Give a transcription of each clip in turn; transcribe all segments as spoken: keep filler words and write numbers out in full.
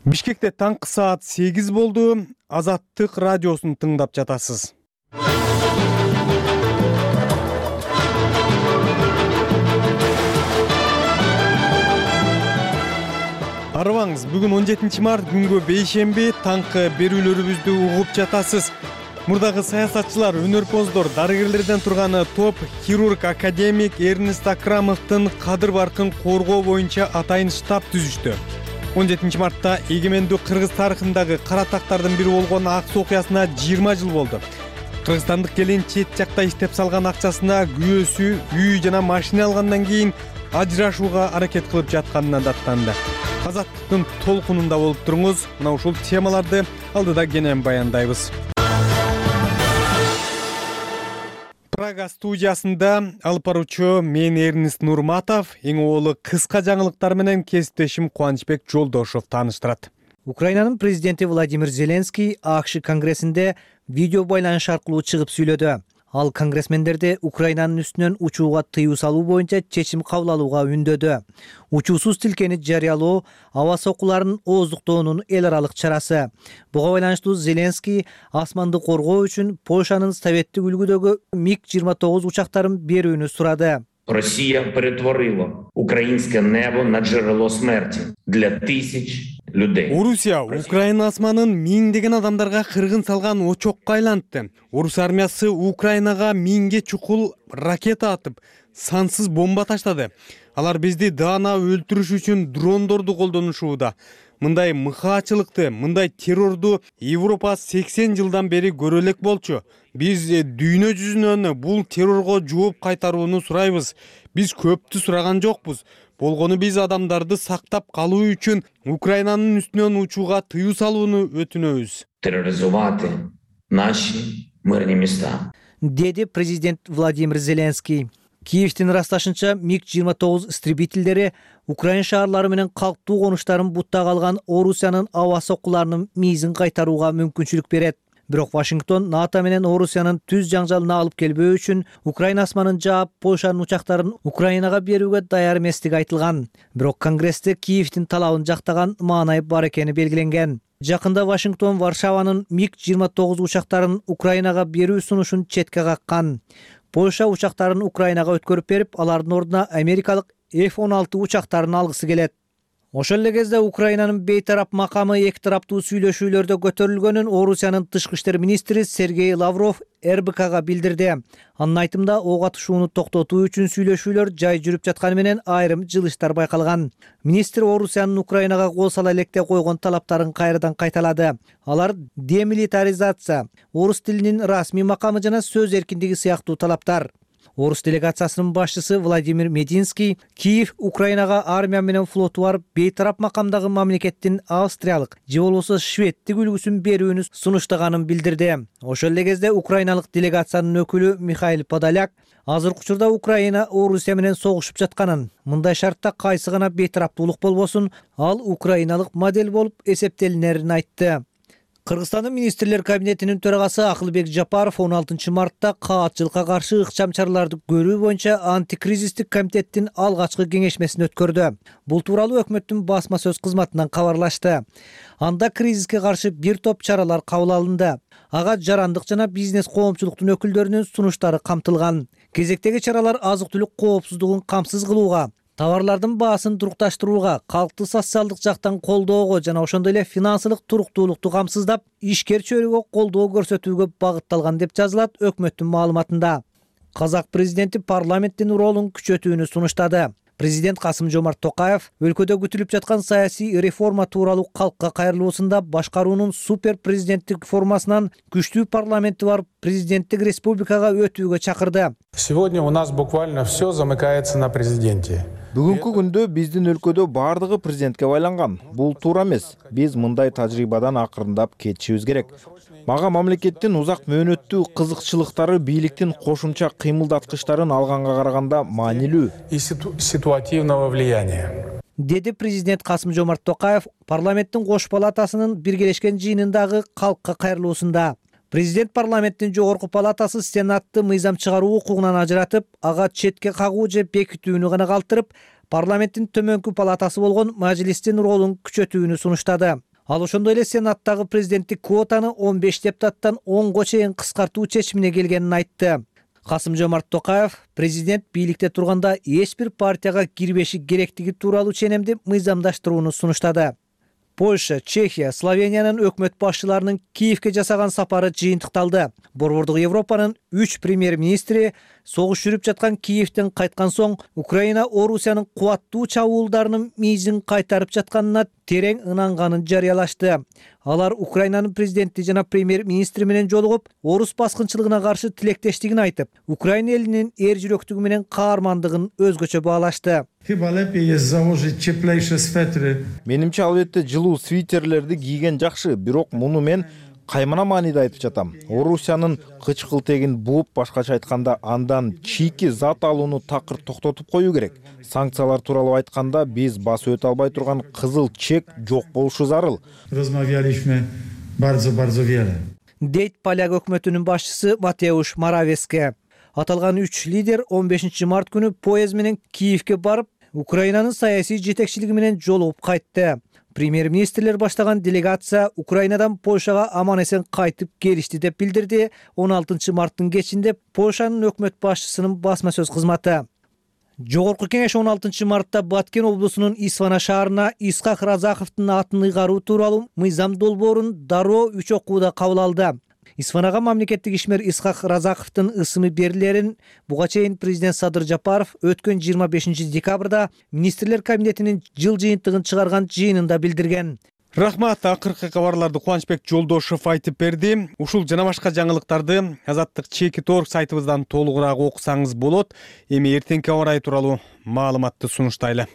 Бишкекте таңкы саат сегиз болду. Азаттык радиосун тыңдап жатасыз. Арыбаңыз, бүгүн он жетинчи март күнгө бейшемби, таңкы берүүлөрүбүздү угуп жатасыз. Мурдагы саясатчылар, өнөрпоздор, дарыгерлерден турганы топ хирург академик Эрнест Акрамовдун кадыр баркын коргоо боюнча атайын штаб түзүштү. он жетинчи мартта эгемендүү Кыргыз тарыхындагы кара тактардын бири болгон ак суу окуясына жыйырма жыл болду. Кыргызстандык келин чет жакта иштеп салган акчасына күйөөсү үй жана машина алгандан кийин ажырашууга аракет кылып жатканына даттанды. Азаттыктын толкунунда болуп туруңуз. Мына ушул темаларды алдыда кенен баяндайбыз. Прага студиясында алып баруучу мен Эрнест Нурматов, эң оолу кыска жаңылыктар менен кесиптешим Кубанычбек Жолдошов тааныштырат. Украинанын президенти Владимир Зеленский АКШ конгрессинде видео байланыш аркылуу чыгып сүйлөдү. Ал конгрессмендерди Украинанын үстүнөн учууга тыюу салуу боюнча чечим кабыл алууга үндөдү. Учуусуз тилкени жарыялоо аба соккуларын ооздуктоонун эл аралык чарасы. Буга байланыштуу Зеленский асманды коргоо үчүн Польшанын советтик үлгүдөгү миг жыйырма тогуз учактарын берүүнү сурады. Россия перетворила украинское небо на джерело смерти для тысяч людей. Орусия Украина асманын миңдеген адамдарга кыргын салган очокко айлантты. Орус армиясы Украинага миңге чукул ракета атып, сансыз бомба таштады. Алар бизди даана өлтүрүш үчүн дрондорду колдонушууда. Мындай мыкаачылыкты, мындай террорду Европа сексен жылдан бери көрө элек болчу. Биз дүйнө жүзүнөн бул террорго жооп кайтарууну сурайбыз. Биз көптү сураган жокпуз. Болгону биз адамдарды сактап калуу үчүн Украинанын үстүнөн учууга тыюу салууну өтүнөбүз. Терроризовать наши мирные места. Деди президент Владимир Зеленский. Киевдин ырасташынча миг жыйырма тогуз истребительдери Украин шаарлары менен калктуу конуштарын буттага алган Орусиянын аба соккуларынын миизин кайтарууга мүмкүнчүлүк берет. Бирок Вашингтон НАТО менен Орусиянын түз жаңжалына алып келбөө үчүн Украина асманын жаап, Польшанын учактарын Украинага берүүгө даяр эместиги айтылган. Бирок Конгрессте Киевдин талабын жактаган маанай бар экени белгиленген. Жакында Вашингтон Варшаванын миг жыйырма тогуз учактарын Украинага берүү сунушун четке каккан. Польша учактарын Украинага өткөрүп берип, алардын ордуна америкалык эф он алты учактарын алгысы келет. Ошол эле кезде Украинанын бейтарап макамы эки тараптуу сүйлөшүүлөрдө көтөрүлгөнүн Орусиянын тышкы иштер министри Сергей Лавров эр бэ ка-га билдирди. Анын айтымында ок атышууну токтотуу үчүн сүйлөшүүлөр жай жүрүп жатканы менен айрым жылыштар байкалган. Министр Орусиянын Украинага кол сала электе койгон талаптарын кайрадан кайталады. Алар демилитаризация, орус тилинин расмий макамы жана сөз эркиндиги сыяктуу талаптар. Орус делегациясынын башчысы Владимир Мединский Киев Украинага армия менен флоту бар бейтарап макамдагы мамлекеттин австриялык же болбосо шведтик үлгүсүн берүүнү сунуштаганын билдирди. Ошол эле кезде украиналык делегациянын өкүлү Михаил Подоляк азыркы учурда Украина Орусия менен согушуп жатканын, мындай шартта кайсы гана бейтараптуулук болбосун, ал украиналык модель болуп эсептелинерин айтты. Кыргызстандын министрлер кабинетинин төрагасы Акылбек Жапаров он алтынчы мартта каатчылыкка каршы ыкчам чараларды көрүү боюнча антикризистик комитеттин алгачкы кеңешмесин өткөрдү. Бул тууралуу өкмөттүн басма сөз кызматынан кабарлашты. Анда кризиске каршы бир топ чаралар кабыл алынды. Ага жарандык жана бизнес коомчулуктун өкүлдөрүнүн сунуштары камтылган. Кезектеги чаралар азык-түлүк коопсуздугун камсыз кылууга, товарлардын баасын турукташтырууга, калкты социалдык жактан колдоого жана ошондой эле финансылык туруктуулукту камсыздап, ишкер чөйрөгө колдоо көрсөтүүгө багытталган деп жазылат өкмөттүн маалыматында. Казак президенти парламенттин ролун күчөтүүнү сунуштады. Президент Касым-Жомарт Токаев өлкөдө күтүлүп жаткан саясий реформа тууралуу калкка кайрылуусунда башкаруунун супер президенттик формасынан күчтүү парламенти бар президенттик республикага өтүүгө чакырды. Сегодня у нас буквально все замыкается на президенте. Бүгүнкү күндө биздин өлкөдө баардыгы президентке байланган. Бул туура эмес. Биз мындай тажрыйбадан акырындап кетишибиз керек. Мага мамлекеттин узак мөөнөттүү кызыкчылыктары бийликтин кошумча кыймылдаткычтарын алганга караганда маанилүү. И ситуативного влияния. Деди президент Касым-Жомарт Токаев парламенттин кош палатасынын биргелешкен жыйынындагы калкка кайрылуусунда. Президент парламенттин жогорку палатасы Сенатты мыйзам чыгаруу укугунан ажыратып, ага четке кагуу же бекитүүнү гана калтырып, парламенттин төмөнкү палатасы болгон Мажилистин ролун күчөтүүнү сунуштады. Ал ошондой эле Сенаттагы президенттик квотаны он беш депутаттан онго чейин кыскартуу чечимине келгенин айтты. Касым-Жомарт Токаев президент бийликте турганда эч бир партияга кирбеши керектиги тууралуу ченемди мыйзамдаштырууну сунуштады. Польша, Чехия, Словениянын өкмөт башчыларынын Киевге жасаган сапары жыйынтыкталды. Борбордук Европанын үч премьер-министри согуш жүрүп жаткан Киевден кайткан соң Украина Орусиянын кубаттуу чабуулдарынын мийизин кайтарып жатканына терең ынанганын жарыялашты. Алар Украинанын президенти жана премьер-министри менен жолугуп, орус баскынчылыгына каршы тилектештигин айтып, Украина элинин эр жүрөктүгү менен каармандыгын өзгөчө баалашты. Менимче албетте жылуу свитерлерди кийген жакшы, бирок муну мен каймана мааниде айтып жатам. Орусиянын кычкылтегин бууп, башкача айтканда, андан чийки зат алууну такыр токтотуп коюу керек. Санкциялар тууралуу айтканда, биз басып өтө албай турган кызыл чек жок болушу зарыл. Дейт поляк өкмөтүнүн башчысы Матеуш Моравецке. Аталган үч лидер он бешинчи март күнү поезд менен Киевге барып, Украинанын саясий жетекчилиги менен жолугуп кайтты. Премьер-министрлер баштаган делегация Украинадан Польшага аман-эсен кайтып келишти деп билдирди он алтынчы марттын кечинде Польшанын өкмөт башчысынын басма сөз кызматы. Жогорку кеңеш он алтынчы мартта Баткен облусунун Исвана шаарына Исхак Разаховдун атын ыйгаруу тууралуу мыйзам долбоорун дароо үч окууда кабыл алды. Исфанага мамлекеттик ишмер Исхак Разаховдун ысымы берилерин буга чейин президент Садыр Жапаров өткөн жыйырма бешинчи декабрда министрлер кабинетинин жыл жыйынтыгын чыгарган жыйынында билдирген. Рахмат, акыркы кабарларды Кубанычбек Жолдошов айтып берди. Ушул жана башка жаңылыктарды Азаттык чекит точка орг сайтыбыздан толугураак окусаңыз болот. Эми эртеңки аба ырайы тууралуу маалыматты сунуштайлы.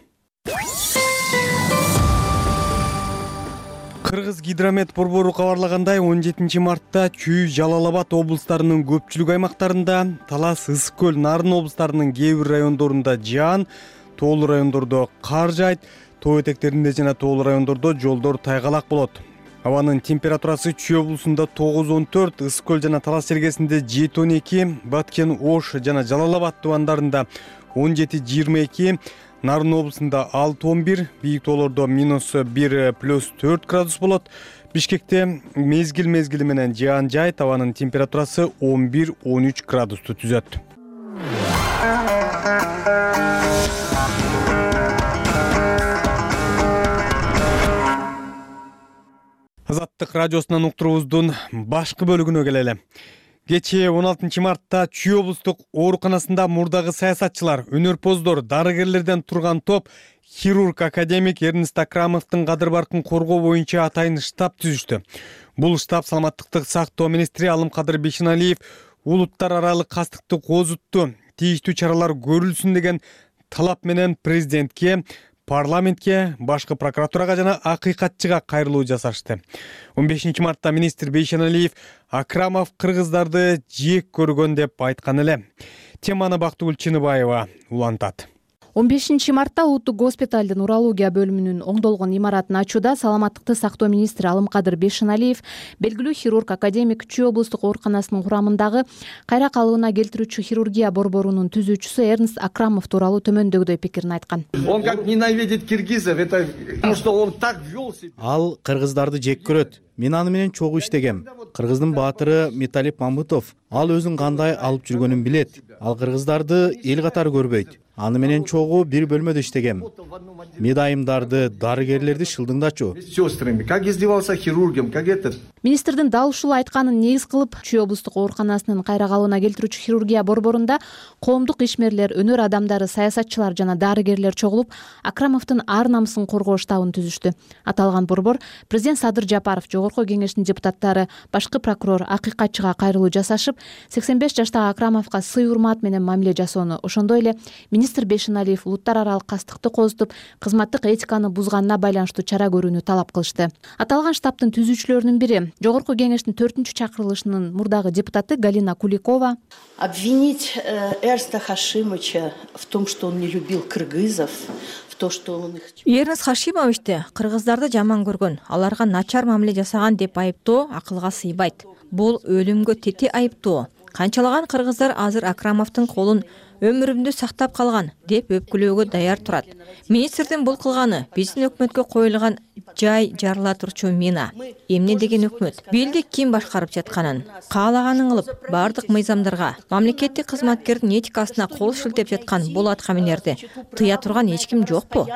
Кыргыз гидромет борбору кабарлагандай, он жетинчи мартта Чүй, Жалал Абад облустарынын көпчүлүк аймактарында, Талас, Ысык көл, Нарын облустарынын кээ бир райондорунда жаан, тоолуу райондордо кар жаайт, тоо этектеринде жана тоолуу райондордо жолдор тайгалак болот. Абанын температурасы Чүй облусунда тогуз он төрт, Ысык көл жана Талас жергесинде жети он эки, Баткен, Ош жана Жалал Абад тубандарында он жети жыйырма эки, Нарын облусунда алты он бир, бийик тоолордо минус бир плюс төрт градус болот. Бишкекте мезгил мезгили менен жаан жаайт, абанын температурасы он бир он үч градусту түзөт. Азаттык радиосунан уктуруубуздун башкы бөлүгүнө келели. Кечээ он алтынчы мартта Чүй облустук ооруканасында мурдагы саясатчылар, өнөрпоздор, дарыгерлерден турган топ хирург академик Эрнест Акрамовдун кадыр баркын коргоо боюнча атайын штаб түзүштү. Бул штаб саламаттыкты сактоо министри Алымкадыр Бейшеналиев улуттар аралык кастыкты козутту, тийиштүү чаралар көрүлсүн деген талап менен президентке, парламентке, башкы прокуратурага жана акыйкатчыга кайрылуу жасашты. он бешинчи мартта министр Бейшеналиев Акрамов кыргыздарды жек көргөн деп айткан эле. Теманы Бактыгүл Чыныбаева улантат. он бешинчи мартта улуттук госпиталдын урология бөлүмүнүн оңдолгон имаратын ачууда саламаттыкты сактоо министри Алымкадыр Бейшеналиев белгилүү хирург академик Чүй облустук ооруканасынын курамындагы кайра калыбына келтирүүчү хирургия борборунун түзүүчүсү Эрнест Акрамов тууралуу төмөндөгүдөй пикирин айткан. Он как ненавидит киргизов, это потому что он так вел себя. Ал кыргыздарды жек көрөт. Мен аны менен чогуу иштегем. Кыргыздын баатыры Металип Мамытов. Ал өзүн кандай алып жүргөнүн билет. Ал кыргыздарды эл катары көрбөйт. Аны менен чогуу бир бөлмөдө иштегем. Медайымдарды, дарыгерлерди шылдыңдачу. Сестрами, как издевался хирургом, как этот. Министрдин дал ушул айтканын негиз кылып, Чүй облустук ооруканасынын кайра калыбына келтирүүчү хирургия борборунда коомдук ишмерлер, өнөр адамдары, саясатчылар жана дарыгерлер чогулуп, Акрамовдун ар намысын коргоо штабын түзүштү. Аталган борбор президент Садыр Жапаров, жогорку кеңештин депутаттары, башкы прокурор, акыйкатчыга кайрылуу жасашып, сексен беш жаштагы Акрамовго сый урмат менен мамиле жасоону, ошондой эле министр Бейшеналиев улуттар аралык кастыкты козутуп, кызматтык этиканы бузганына байланыштуу чара көрүүнү талап кылышты. Аталган штабтын түзүүчүлөрүнүн бири жогорку кеңештин төртүнчү чакырылышынын мурдагы депутаты Галина Куликова. Обвинить Эрнеста Хашимовича в том, что он не любил кыргызов, в то, что он их... Эрнест Хашимовичти кыргыздарды жаман көргөн, аларга начар мамиле жасаган деп айыптоо акылга сыйбайт. Бул өлүмгө тете айыптоо. Канчалаган кыргыздар азыр Акрамовдун колун өмүрүмдү сактап калган деп өпкүлөөгө даяр турат. Министрдин бул кылганы биздин өкмөткө коюлган жай жарыла турчу мина. Эмне деген өкмөт? Бийлик ким башкарып жатканын, каалаганын кылып, бардык мыйзамдарга, мамлекеттик кызматкердин этикасына кол шилтеп жаткан бул аткаминерди тыя турган эч ким жокпу?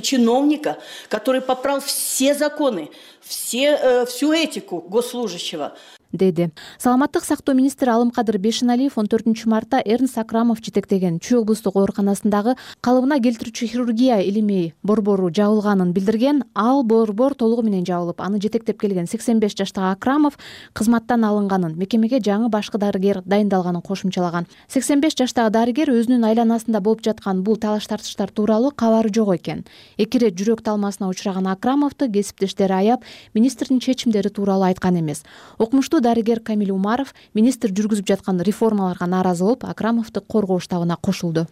Чиновника, который попрал все законы, все, всю этику госслужащего. деди. Саламаттык сактоо министри Алымкадыр Бешеналиев он төртүнчү мартта Эрнст Акрамов жетектеген Чүй облустук ооруканасындагы калыбына келтирүүчү хирургия илимий борбору жабылганын билдирген. Ал борбор толугу менен жабылып, аны жетектеп келген сексен беш жаштагы Акрамов кызматтан алынганын, мекемеге жаңы башкы дарыгер дайындалганын кошумчалаган. сексен беш жаштагы дарыгер өзүнүн айланасында болуп жаткан бул талаш-тартыштар тууралуу кабары жок экен. Эки ирет жүрөк талмасына учураган Акрамовду кесиптештери аяп, министрдин чечимдери тууралуу айткан эмес. Окумуштуу дарыгер Камил Умаров министр жүргүзүп жаткан реформаларга нааразы болуп, Акрамовду коргоо штабына кошулду.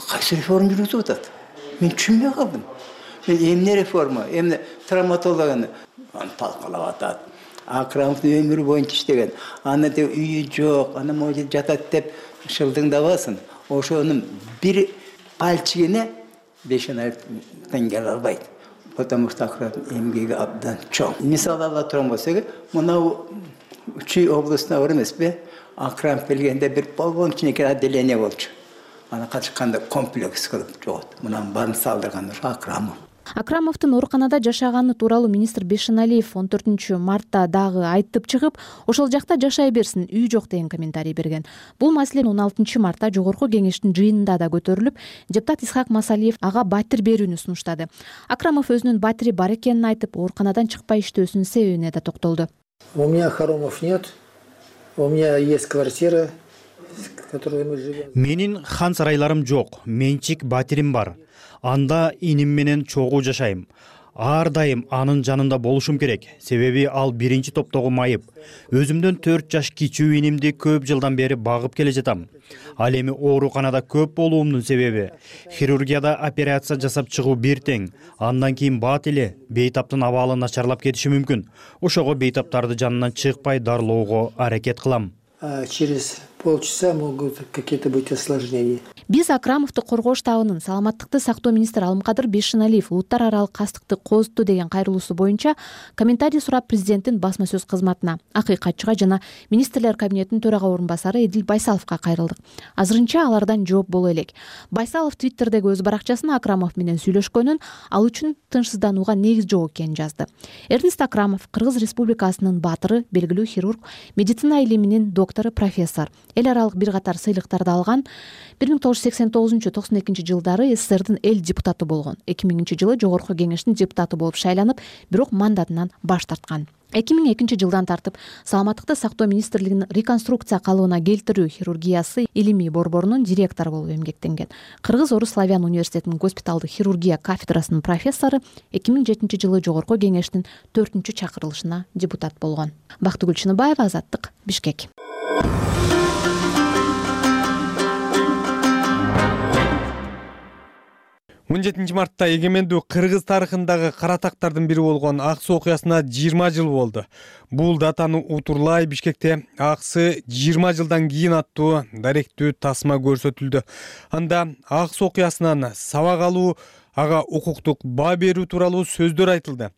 Кайсы реформа жүргүзүп атат? Мен түшүнбөй калдым. Мен эмне реформа, эмне травматологияны талкалап атат. Акрамовдун өмүрү боюнча иштеген, аны деп үйү жок, аны могу жатат деп шылдыңдабасын. Ошонун бир пальчигине Бешеналиевден келе албайт. Потому что Акрамов эмгеги абдан чоң. Мисалы ала турган болсок, мына Чүй областына бар эмеспи? Акрамов келгенде бир полгон кичинекей отделение болчу. Аны качканда комплекс кылып жогот. Мунан баарын салдырган Акрамов. Акрамовдун ооруканада жашаганы тууралуу министр Бешеналиев он төртүнчү мартта дагы айтып чыгып, ошол жакта жашай берсин, үй жок деген комментарий берген. Бул маселе он алтынчы мартта жогорку кеңештин жыйынында да көтөрүлүп, депутат Исхак Масалиев ага батир берүүнү сунуштады. Акрамов өзүнүн батири бар экенин айтып, ооруканадан чыкпай иштөөсүнүн себебине да токтолду. У меня хоромов нет, у меня есть квартира, в которой мы живем. Менин хан сарайларым жок, менчик батирим бар. Анда иним менен чогуу жашайм. Ар дайым анын жанында болушум керек. Себеби ал биринчи топтогу майып. Өзүмдөн төрт жаш кичүү инимди көп жылдан бери багып келе жатам. Ал эми ооруканада көп болуумдун себеби хирургияда операция жасап чыгуу бир тең. Андан кийин бат эле бейтаптын абалы начарлап кетиши мүмкүн. Ошого бейтаптарды жанынан чыкпай дарылоого аракет кылам. Через полчаса могут какие-то быть осложнения. Биз Акрамовду коргоо штабынын саламаттыкты сактоо министри Алымкадыр Бешеналиев улуттар аралык кастыкты козутту деген кайрылуусу боюнча комментарий сурап президенттин басма сөз кызматына, акыйкатчыга жана министрлер кабинетинин төрага орун басары Эдил Байсаловго кайрылдык. Азырынча алардан жооп боло элек. Байсалов Твиттердеги өз баракчасына Акрамов менен сүйлөшкөнүн, ал үчүн тынчсызданууга негиз жок экенин жазды. Эрнст Акрамов Кыргыз Республикасынын баатыры, белгилүү хирург, медицина илиминин доктору, профессор. Эл аралык бир катар сыйлыктарды алган. бир миң тогуз жүз сексен тогузунчу токсон экинчи жылдары СССРдин эл депутаты болгон. эки миңинчи жылы жогорку кеңештин депутаты болуп шайланып, бирок мандатынан баш тарткан. эки миң экинчи жылдан тартып саламаттыкты сактоо министрлигинин реконструкция калыбына келтирүү хирургиясы илимий борборунун директору болуп эмгектенген. Кыргыз Орус Славян университетинин госпиталдык хирургия кафедрасынын профессору, эки миң жетинчи жылы жогорку кеңештин төртүнчү чакырылышына депутат болгон. Бактыгүл Чыныбаева, Азаттык, Бишкек. он жетинчи мартта эгемендүү Кыргыз тарыхындагы каратактардын бири болгон Ак Суу окуясына жыйырма жыл болду. Бул датаны утурлай Бишкекте Аксы жыйырма жылдан кийин аттуу даректүү тасма көрсөтүлдү. Анда Ак Суу окуясынан сабак алуу, ага укуктук баа берүү тууралуу сөздөр айтылды.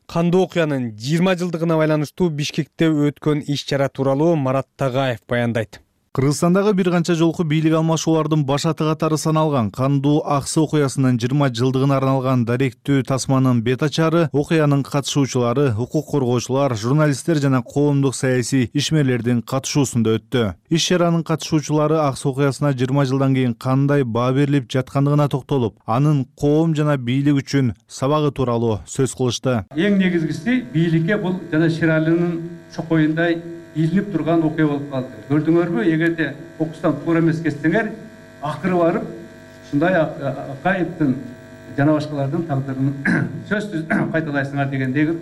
Кандуу окуянын жыйырма жылдыгына байланыштуу Бишкекте өткөн иш-чара тууралуу Марат Тагаев баяндайт. Кыргызстандагы бир канча жолку бийлик алмашуулардын башаты катары саналган Кандуу Аксы окуясынын жыйырма жылдыгына арналган даректүү тасманын бет ачары окуянын катышуучулары, укук коргоочулар, журналисттер жана коомдук саясий ишмерлердин катышуусунда өттү. Иш-чаранын катышуучулары Аксы окуясына жыйырма жылдан кийин кандай баа берилип жаткандыгына токтолуп, анын коом жана бийлик үчүн сабагы тууралуу сөз кылышты. Эң негизгиси бийликке бул жана Ширалынын чокоюндай илинип турган окуя болуп калды. Көрдүңөрбү, эгерде окустан туура эмес кетсеңер, акыры барып ушундай Акаевдин жана башкалардын тагдырын сөзсүз кайталайсыңар дегендеги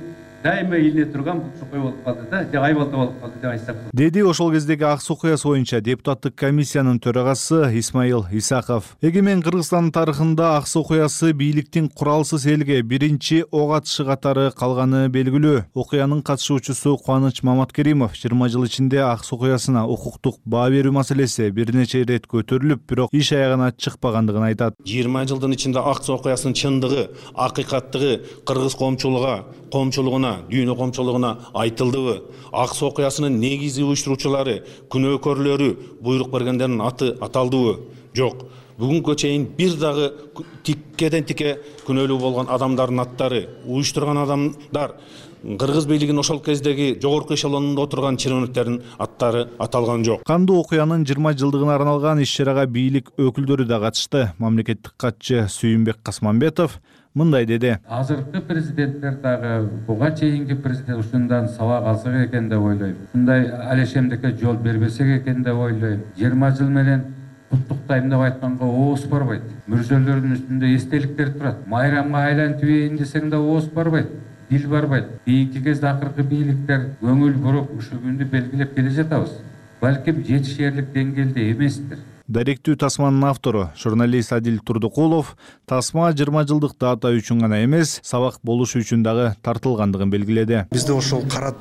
дайыма илине турган бул чокой болуп калды да, же айбалта болуп калды деп айтсак болот. Деди ошол кездеги акс окуясы боюнча депутаттык комиссиянын төрагасы Исмаил Исаков. Эгемен Кыргызстандын тарыхында акс окуясы бийликтин куралсыз элге биринчи ок атышы катары калганы белгилүү. Окуянын катышуучусу Кубаныч Маматкеримов жыйырма жыл ичинде акс окуясына укуктук баа берүү маселеси бир нече ирет көтөрүлүп, бирок иш аягына чыкпагандыгын айтат. жыйырма жылдын ичинде акс окуясынын чындыгы, акыйкаттыгы кыргыз коомчулугуна, коомчулугуна, дүйнө коомчулугуна айтылдыбы? Акс окуясынын негизи уюштуруучулары, күнөөкөрлөрү, буйрук бергендердин аты аталдыбы? Жок. Бүгүнгө чейин бир дагы тиккеден тике күнөөлүү болгон адамдардын аттары, уюштурган адамдар, кыргыз бийлигинин ошол кездеги жогорку эшелонунда отурган чиновниктердин аттары аталган жок. Кандуу окуянын жыйырма жылдыгына арналган иш-чарага бийлик өкүлдөрү да катышты. Мамлекеттик катчы Сүйүнбек Касманбетов мындай деди. Азыркы президенттер дагы буга чейинки президент ушундан сабак алсак экен деп ойлойм. Ушундай алешемдикке жол бербесек экен деп ойлойм. жыйырма жыл менен куттуктайм деп айтканга ооз барбайт. Мүрзөлөрдүн үстүндө эстеликтер турат. Майрамга айлантып десең да ооз барбайт. Дил барбайт. Кийинки кезде акыркы бийликтер көңүл буруп ушул күндү белгилеп келе жатабыз. Балким жетишерлик деңгээлде эместир. Даректүү тасманын автору, журналист Адил Турдукулов, тасма жыйырма жылдык дата үчүн гана эмес, сабак болушу үчүн дагы тартылгандыгын белгиледи. Бизде ошол кара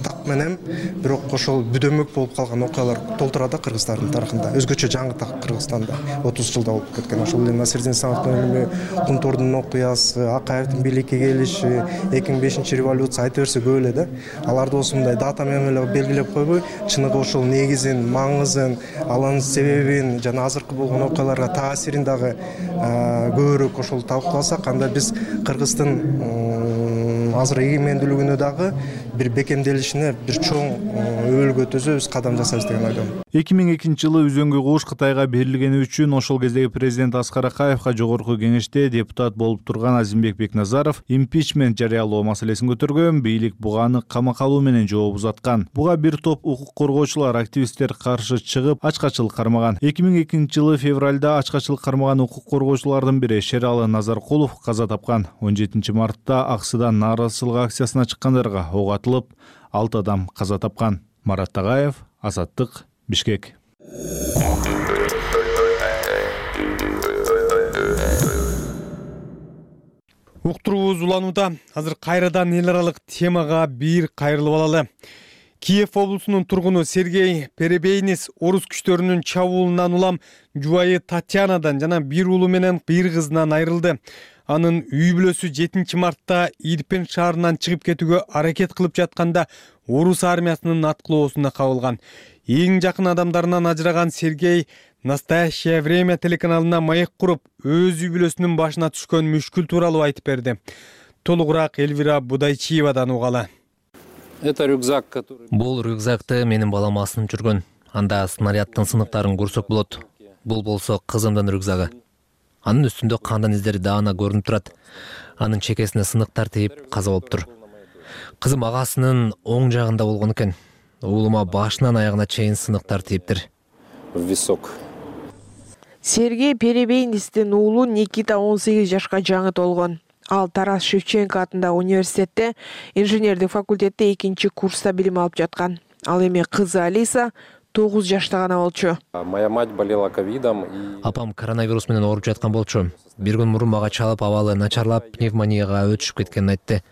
так менен бирок ошол бүдөмөк болуп калган окуялар толтурат да Кыргыздардын тарыхында. Өзгөчө жаңы так Кыргызстанда отуз жылда болуп кеткен. Ошол эле Насирдин Сановдун өлүмү, Кунтурдун окуясы, Акаевдин бийликке келиши, эки миң бешинчи революция айта берсе көп эле да. Аларды осы мындай дата менен эле белгилеп койбой, чыныгы ошол негизин, маңызын, алардын себебин жана азыркы болгон окуяларга таасирин дагы көбүрөөк ошол талкууласак, анда биз Кыргыздын азыр эгемендүүлүгүнө дагы бир бекемделишине бир чоң өбөлгө төзөбүз, кадам жасайбыз деген ойдомун. эки миң экинчи жылы Үзөңгү куш Кытайга берилгени үчүн ошол кездеги президент Аскар Акаевка жогорку кеңеште депутат болуп турган Азимбек Бекназаров импичмент жарыялоо маселесин көтөргөн, бийлик буганы камакка алуу менен жооп узаткан. Буга бир топ укук коргоочулар, активисттер каршы чыгып, ачкачылык кармаган. эки миң экинчи жылы февралда ачкачылык кармаган укук коргоочулардын бири Шералы Назаркулов каза тапкан. он жетинчи мартта Аксыдан нааразычылык акциясына чыккандарга ок атылып, алты адам каза тапкан. Марат Тагаев, Азаттык, Бишкек. Уктуруубуз уланууда. Азыр кайрадан эл аралык темага бир кайрылып алалы. Киев облусунун тургуну Сергей Перебейнис орус күчтөрүнүн чабуулунан улам жубайы Татьянадан жана бир уулу менен бир кызынан айрылды. Анын үй бүлөсү жетинчи мартта Ирпен шаарынан чыгып кетүүгө аракет кылып жатканда орус армиясынын аткылоосуна кабылган. Эң жакын адамдарынан ажыраган Сергей «Настоящее время» телеканалына маек куруп, өз үй бүлөсүнүн башына түшкөн мүшкүл тууралуу айтып берди. Толугураак Элвира Будайчиевадан угалы. Бул рюкзакты менин балам асынып жүргөн. Анда снаряддын сыныктарын көрсөк болот. Бул болсо кызымдын рюкзагы. Анын үстүндө кандан издери даана көрүнүп турат. Анын чекесине сыныктар тийип каза болуптур. Кызым агасынын оң жагында болгон экен. Уулума башынан аягына чейин сыныктар тийиптир. Висок. Сергей Перебейнистин уулу Никита он сегиз жашка жаңы толгон. Ал Тарас Шевченко атындагы университетте инженердик факультетте экинчи курста билим алып жаткан. Ал эми кызы Алиса тогуз жашта гана болчу. Моя мать болела ковидом. Апам коронавирус менен ооруп жаткан болчу. Бир күн мурун мага чалып, абалы начарлап, пневмонияга өтүшүп кеткенин айтты.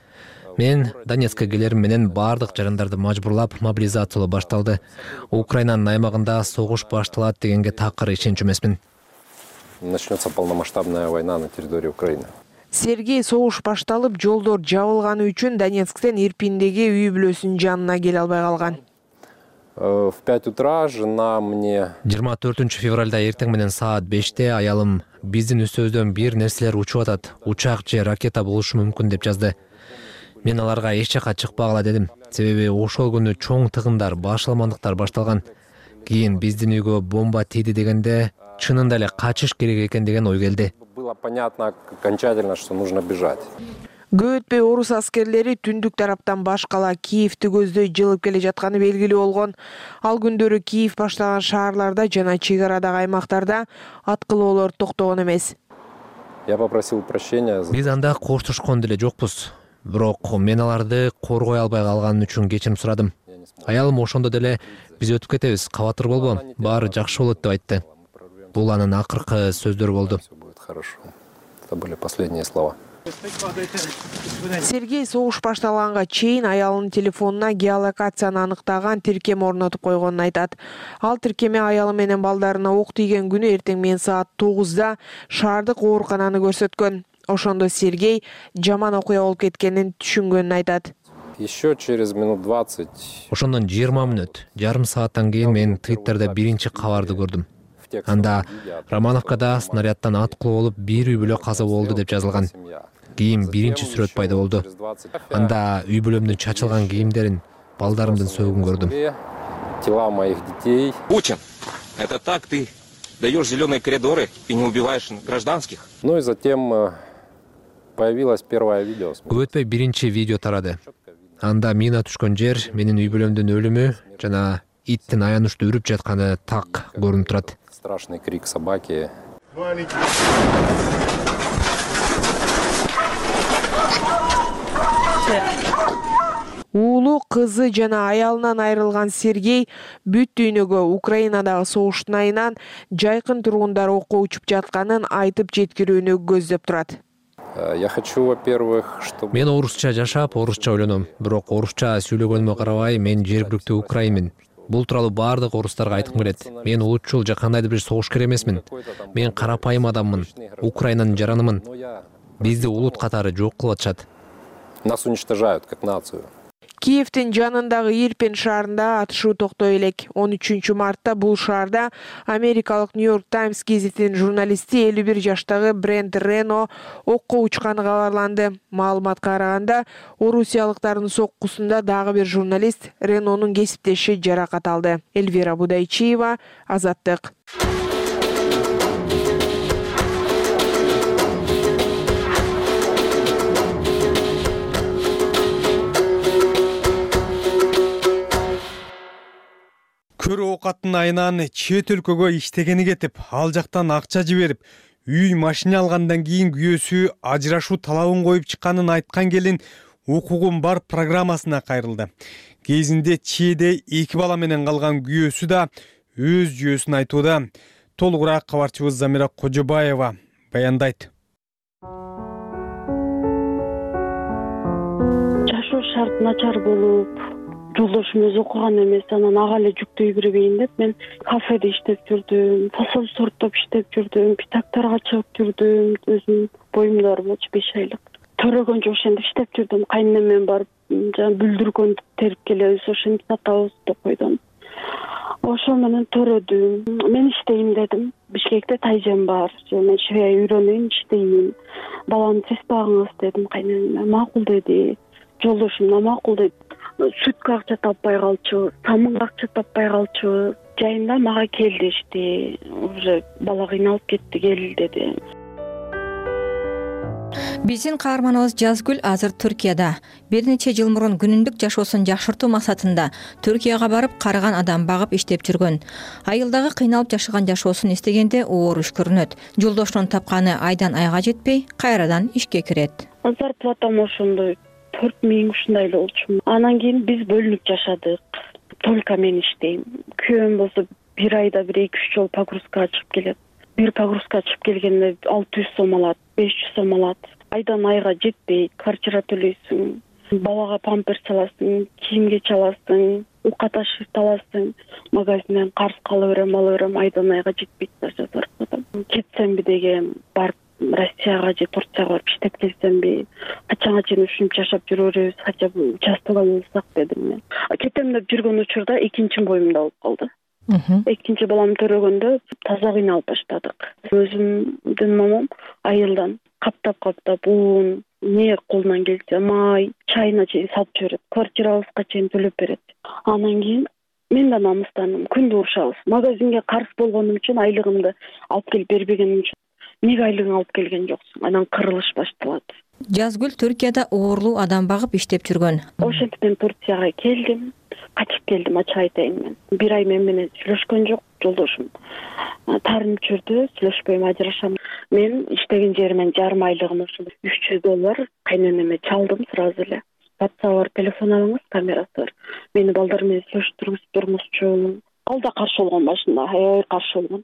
Мен Донецкке келерим менен бардык жарандарды мажбурлап, мобилизациялоо башталды. Украинанын аймагында согуш башталат дегенге такыр ишенчү эмесмин. Начнется полномасштабная война на территории Украины. Сергей согуш башталып, жолдор жабылганы үчүн Донецктен Ирпиндеги үй бүлөсүнүн жанына келе албай калган. В пять утра жена мне... жыйырма төртүнчү февралда эртең менен саат беште аялым биздин үстүбүздөн бир нерселер учуп атат, учак же ракета болушу мүмкүн деп жазды. Мен аларга эч жака чыкпагыла дедим. Себеби ошол күнү чоң тыгындар, башаламандыктар башталган. Кийин биздин үйгө бомба тийди дегенде чынында эле качыш керек экен деген ой келди. Было понятно окончательно, что нужно бежать. Көп өтпөй орус аскерлери түндүк тараптан башкала Киевти көздөй жылып келе жатканы белгилүү болгон. Ал күндөрү Киев баштаган шаарларда жана чек арадагы аймактарда аткылоолор токтогон эмес. Я попросил прощения. Биз анда коштошкон деле жокпуз. бирок мен аларды коргой албай калганым үчүн кечирим сурадым. Аялым ошондо деле биз өтүп кетебиз, кабатыр болбо, баары жакшы болот деп айтты. Бул анын акыркы сөздөрү болду. Это были последние слова. Сергей согуш башталганга чейин аялынын телефонуна геолокацияны аныктаган тиркеме орнотуп койгонун айтат. Ал тиркеме аялы менен балдарына ок тийген күнү эртең менен саат тогузда шаардык оорукананы көрсөткөн. Ошондо Сергей жаман окуя болуп кеткенин түшүнгөнүн айтат. Еще через минут двадцать. Ошондон жыйырма мүнөт, жарым сааттан кийин мен Твиттерде биринчи кабарды көрдүм. Анда Романовкада снаряддан аткылуу болуп бир үй бүлө каза болду деп жазылган. Кийин биринчи сүрөт пайда болду. Анда үй бүлөмдүн чачылган кийимдерин, балдарымдын сөөгүн көрдүм. Тела моих детей. Путин, это так ты даешь зеленые коридоры и не убиваешь гражданских? Ну и затем появилось первое видео. Көп өтпөй биринчи видео тарады. Анда мина түшкөн жер, менин үй бүлөмдүн өлүмү жана иттин аянычтуу үрүп жатканы так көрүнүп турат. Страшный крик собаки. Уулу, кызы жана аялынан айрылган Сергей бүт дүйнөгө Украинадагы согуштун айынан жайкын тургундар окко учуп жатканын айтып жеткирүүнү көздөп турат. Я хочу, во-первых, чтобы... Мен орусча жашап, орусча ойлоном. Бирок орусча сүйлөгөнүмө карабай, мен жергиликтүү украинмин. Бул тууралуу баардык орустарга айткым келет. Мен улутчул же кандайдыр бир согушкер эмесмин. Мен карапайым адаммын. Украинанын жаранымын. Бизди улут катары жок кылып атышат. Нас уничтожают как нацию. Киевдин жанындагы Ирпен шаарында атышуу токтой элек. он үчүнчү мартта бул шаарда америкалык Нью-Йорк Таймс гезитинин журналисти элүү бир жаштагы Брент Рено окко учканы кабарланды. Маалыматка караганда, орусиялыктардын соккусунда дагы бир журналист Ренонун кесиптеши жаракат алды. Эльвира Будайчиева, Азаттык. Көрө оокаттын айынан чет өлкөгө иштегени кетип, ал жактан акча жиберип, үй машина алгандан кийин күйөөсү ажырашуу талабын коюп чыкканын айткан келин укугум бар программасына кайрылды. Кезинде чээде эки бала менен калган күйөөсү да өз жүйөсүн айтууда. Толугураак кабарчыбыз Замира Кожобаева баяндайт. Жашоо шарт начар болуп, жолдошум өзү окуган эмес, анан ага эле жүктөй бербейин деп мен кафеде иштеп жүрдүм, фасол сорттоп иштеп жүрдүм, питактарга чыгып жүрдүм, өзүм боюмда бар болчу беш айлык. Төрөгөн ошентип иштеп жүрдүм, кайненемен барып, жана бүлдүргөн терип келебиз, ошентип сатабыз деп койдум. Ошо менен төрөдүм. Мен иштейм дедим. Бишкекте тайжем бар. Мен швея үйрөнөйүн, иштеймин. Баланы сиз багыңыз дедим кайненеме. Макул деди. Жолдошум да макул деди. Сүткө акча таппай калчу, самынга акча таппай калчу. Жайында мага кел дешти. Уже бала кыйналып кетти, кел деди. Биздин каарманыбыз Жазгүл азыр Түркияда. Бир нече жыл мурун күнүндүк жашоосун жакшыртуу максатында Түркияга барып карыган адам багып иштеп жүргөн. Айылдагы кыйналып жашаган жашоосун эстегенде оор үш көрүнөт. Жолдошунун тапканы айдан айга жетпей, кайрадан ишке кирет. Зарплатам ошондой төрт миң ушундай эле болчу. Анан кийин биз бөлүнүп жашадык. Только мен иштейм. Күйөөм болсо бир айда бир эки үч жолу погрузкага чыгып келет. Бир погрузкага чыгып келгенде алты жүз сом алат, беш жүз сом алат. Айдан айга жетпейт, квартира төлөйсүң, балага памперс аласың, кийимге чаласың, ука ташып аласың, магазинден карыз кала берем, ала берем, айдан айга жетпейт даже зарплата. Кетсемби деген, барып Россияга же Турцияга барып иштеп келсемби, качанга чейин ушинтип жашап жүрө беребиз, хотя бы участвовать болсак дедим мен. Кетем деп жүргөн учурда экинчи боюмда болуп калды. Экинчи балам төрөгөндө таза кыйналып баштадык. Өзүмдүн момом айылдан каптап-каптап уун, не колунан келсе май, чайына чейин салып жиберет. Квартирабызга чейин төлөп берет. Анан кийин мен да намыстандым. Күндү урушабыз. Магазинге карыз болгонум үчүн айлыгымды алып келип бербегеним үчүн неге айлыгыңды алып келген жоксуң? Анан кырылыш башталат. Жазгүл Түркияда оорлуу адам багып иштеп жүргөн. Ошентип мен Турцияга келдим. Качып келдим, ачык айтайын мен. Бир ай мен менен сүйлөшкөн жок. жолдошум таарынып жүрдү, сүйлөшпөйм, ажырашам. Мен иштеген жеримен жарым айлыгым ушул үч жүз доллар кайненеме чалдым сразу эле. WhatsApp бар, телефон алыңыз, камерасы бар. Мени балдар менен сүйлөштүргүзүп турмузчу. Ал да каршы болгон башында, аябай каршы болгон.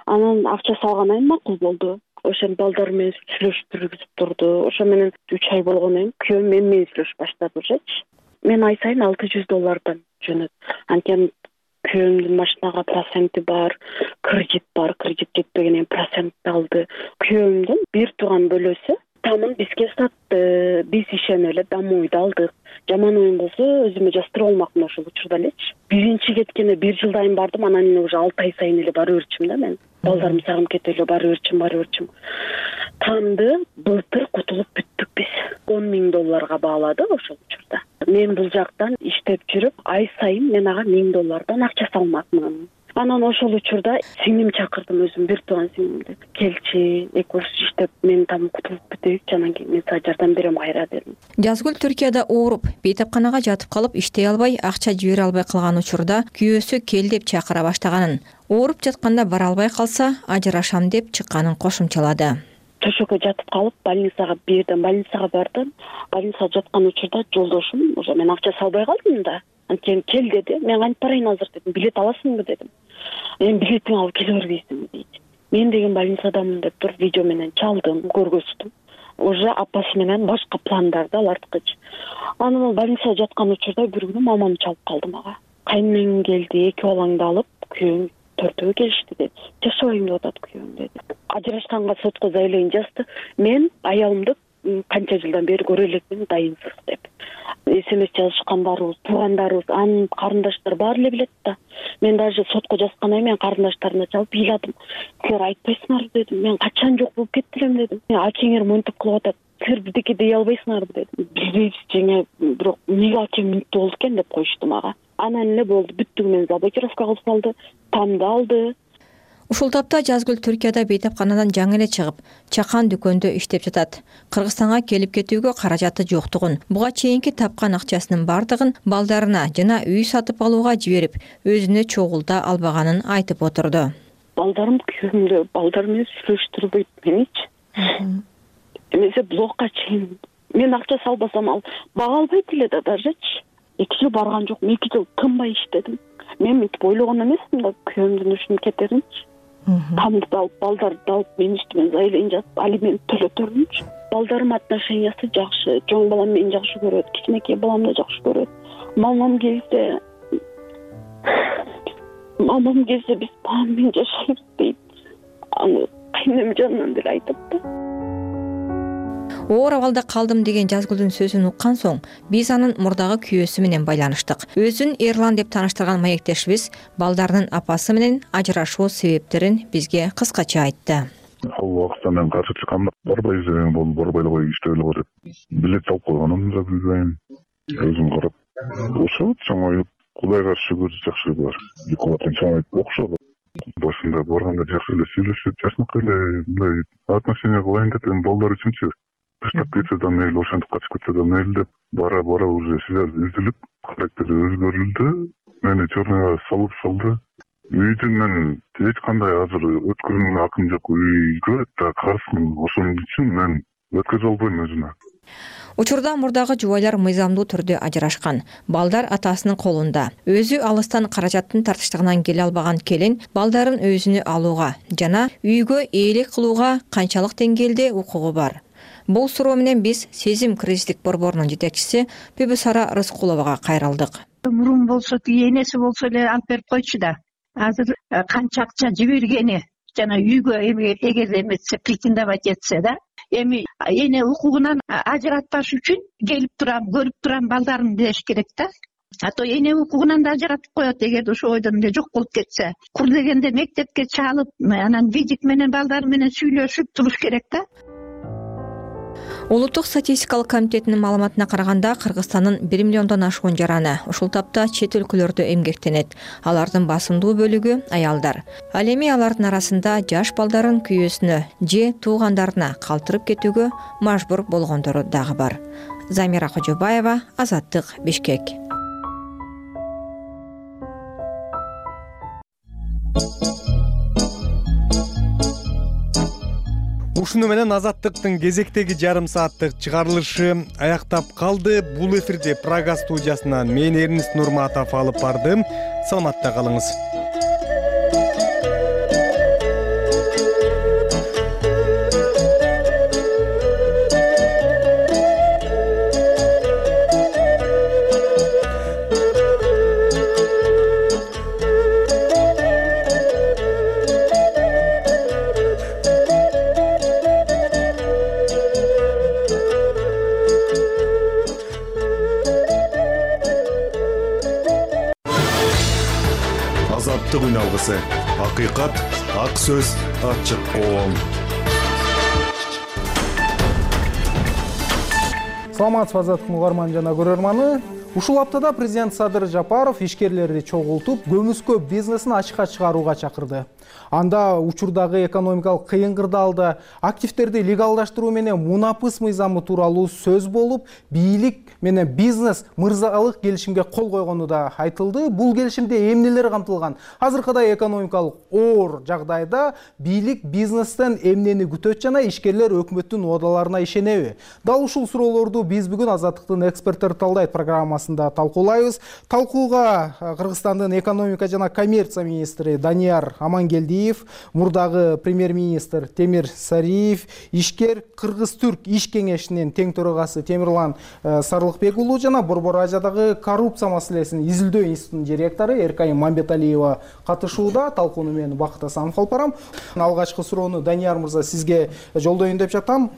Анан акча салгандан кийин макул болду. Ошол балдар менен сүйлөштүргүзүп турду. Ошо менен үч ай болгондон кийин күйөөм мен менен сүйлөшүп баштады ужечи. Мен ай сайын алты жүз доллардан жөнөт. Анткени күйөөмдүн машинага проценти бар, кредит бар, кредит жетпегенен процентти алды. Күйөөмдүн бир тууган бөлөсү тамын бизге сатты. Биз ишенип эле домойду алдык. Жаман оюн болсо өзүмө жаштырып алмакмын ошол учурда элечи. Биринчи кеткенде бир жылдайын бардым, анан эле уже алты ай сайын эле бара берчүмүн да мен. Балдарым сагынып кетип эле бара берчүм, бара берчүм. Тамды былтыр кутулуп бүттүк биз. он миң долларга баалады ошол учурда. Мен бул жактан иштеп жүрүп, ай сайын мен ага миң доллардан акча салмакмын. Анан ошол учурда сиңдим чакырдым, өзүм бир тууган сиңдимди. Келчи, экөөбүз иштеп, мен там кутулуп бүтөйүкчү, анан кийин мен сага жардам берем кайра дедим. Жазгүл Түркияда ооруп, бейтапканага жатып калып, иштей албай, акча жибере албай калган учурда күйөөсү кел деп чакыра баштаганын, ооруп жатканда бара албай калса, ажырашам деп чыкканын кошумчалады. Төшөккө жатып калып, больницага бирден больницага бардым. Больницага жаткан учурда жолдошум, уже мен акча салбай калдым да. Анткени кел деди. Мен кантип барайын азыр дедим. Билет аласыңбы дедим. Эми билетиңди алып келе бербейсиңби дейт. Мен деген больницадамын деп туруп видео менен чалдым, көргөздүм. Уже апасы менен башка пландарды аларткычы. Анан больницада жаткан учурда бир күнү мамам чалып калды мага. Кайнең келди, эки балаңды алып, күйөөң төртөө келишти деди. Жашабайм деп атат күйөөң деди. Ажырашканга сотко заявление жазды. Мен аялымды канча жылдан бери көрө элекмин, дайынсыз деп. СМС жазышкандарыбыз, туугандарыбыз, анын карындаштары баары эле билет да. Мен даже сотко жазгандан кийин мен карындаштарына чалып ыйладым. Силер айтпайсыңарбы дедим. Мен качан жок болуп кеттилем дедим. Акеңер монтип кылып атат. Силер бирдеке дей албайсыңарбы дедим. Билбейбиз жеңе, бирок эмнеге акем мүнөттүү болду экен деп коюшту мага. Анан эле болду, бүттүк, мен заблокировка кылып салды, тамды алды. Ушул тапта Жазгүл Түркияда бейтапканадан жаңы эле чыгып, чакан дүкөндө иштеп жатат. Кыргызстанга келип кетүүгө каражаты жоктугун, буга чейинки тапкан акчасынын бардыгын балдарына жана үй сатып алууга жиберип, өзүнө чогулта албаганын айтып отурду. Балдарым күйөөмдө, балдар менен сүйлөштүрбөйт меничи. Эмесе блокка чейин мен акча салбасам ал бага албайт эле да дажечи. эки жыл барган жокмун, эки жыл тынбай иштедим. Мен мынтип ойлогон эмесмин да, күйөөмдүн ушунун кетеринчи. Тамды да алып, балдарды алып, мен үстүмө заявление жазып, алимент төлөтөрмүнчү. Балдарым отношениясы жакшы, чоң балам мени жакшы көрөт, кичинекей балам да жакшы көрөт. Мамам келсе, мамам келсе биз мамам менен жашайбыз дейт. Аны кайнем жанынан деле айтат да. Оор абалда калдым деген Жазгүлдүн сөзүн уккан соң, биз анын мурдагы күйөөсү менен байланыштык. Өзүн Эрлан деп тааныштырган маектешибиз балдарынын апасы менен ажырашуу себептерин бизге кыскача айтты. Ал убакытта мен каршы чыккам, барбайбыз деген болду, барбай эле коюп иштеп эле кой деп. Билет алып койгонум да билбейм. Өзүм карап, ошо чоңоюп, Кудайга шүгүр жакшы бар. Эки бала чоңоюп окшоду. Башында барганда жакшы эле сүйлөшүп, жашнакай эле мындай отношение кылайын деп, эми балдар үчүнчү. Таштап кетсе да мейли, ошентип качып кетсе да мейли деп, бара-бара уже связь үзүлүп, характери өзгөрүлдү. Мени черныйга салып салды. Үйдүн мен эч кандай азыр өткөрүүнүн акым жок. Үйгө да каршымын. Ошон үчүн мен өткөзө албайм өзүмө. Учурда мурдагы жубайлар мыйзамдуу түрдө ажырашкан. Балдар атасынын колунда. Өзү алыстан каражаттын тартыштыгынан келе албаган келин балдарын өзүнө алууга жана үйгө ээлик кылууга канчалык деңгээлде укугу бар? Бул суроо менен биз Сезим кризистик борборунун жетекчиси Пүбүсара Рыскуловага кайрылдык. Мурун болсо энеси болсо эле алып берип койчу да. Азыр канча акча жибергени жана үйгө эгер эмесе претендовать этсе да, эми эне укугунан ажыратпаш үчүн келип турам, көрүп турам балдарым деш керек да. А то эне укугунан да ажыратып коет эгерде ошо ойдон эле жок болуп кетсе. Кур дегенде мектепке чалып, анан видик менен балдар менен сүйлөшүп туруш керек да. Улуттук статистикалык комитетинин маалыматына караганда, Кыргызстандын бир миллиондон ашуун жараны ушул тапта чет өлкөлөрдө эмгектенет. Алардын басымдуу бөлүгү аялдар. Ал эми алардын арасында жаш балдарын күйөөсүнө же туугандарына калтырып кетүүгө мажбур болгондору дагы бар. Замира Кожобаева, Азаттык, Бишкек. ушуну менен Азаттыктын кезектеги жарым сааттык чыгарылышы аяктап калды. Бул эфирди Прага студиясынан мен Эрнист Нурматов алып бардым. Саламатта калыңыз. Азаттык үн алгысы. Акыйкат, ак сөз, ачык коом. Саламатсызбы Азаттыктын угарман жана көрөрманы. Ушул аптада президент Садыр Жапаров ишкерлерди чогултуп, көмүскө бизнесин ачыкка чыгарууга чакырды. Анда учурдагы экономикалык кыйын кырдаалда активдерди легалдаштыруу менен мунапыс мыйзамы тууралуу сөз болуп, бийлик менен бизнес мырзалык келишимге кол койгону да айтылды. Бул келишимде эмнелер камтылган? Азыркыдай экономикалык оор жагдайда бийлик бизнестен эмнени күтөт жана ишкерлер өкмөттүн убадаларына ишенеби? Дал ушул суроолорду биз бүгүн Азаттыктын эксперттери талдайт программасында талкуулайбыз. Талкууга Кыргызстандын экономика жана коммерция министри Данияр Амангелдиев, мурдагы премьер-министр Темир Сариев, ишкер Кыргыз-Түрк иш кеңешинин тең төрагасы Темирлан Сарлыкбек уулу жана Борбор Азиядагы коррупция маселесин изилдөө институтунун директору Эркайым Мамбеталиева катышууда. Талкууну мен Бакыт Асанов алып барам. Алгачкы суроону Данияр мырза сизге жолдоюн деп жатам.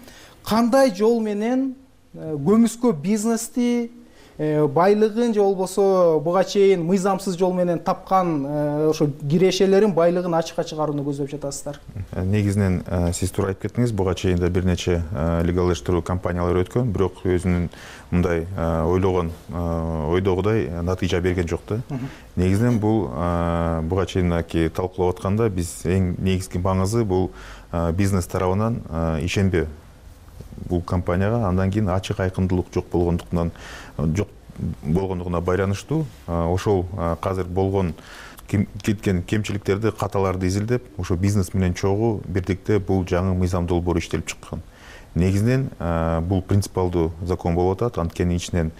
Кандай жол менен көмүскө бизнести байлыгын же болбосо буга чейин мыйзамсыз жол менен тапкан ошо кирешелерин байлыгын ачыкка чыгарууну көздөп жатасыздар? Негизинен сиз туура айтып кеттиңиз, буга чейин да бир нече легалдаштыруу компаниялар өткөн, бирок өзүнүн мындай ойлогон ойдогудай натыйжа берген жок да. Негизинен бул буга чейин талкуулап атканда биз эң негизги маңызы бул бизнес тарабынан ишенбөө бул компанияга, андан кийин ачык айкындуулук жок болгондуктан жок болгондугуна байланыштуу ошол азыр болгон кеткен кемчиликтерди, каталарды изилдеп, ошо бизнес менен чогуу бирдикте бул жаңы мыйзам долбоору иштелип чыккан. Негизинен бул принципиалдуу закон болуп атат. Анткени ичинен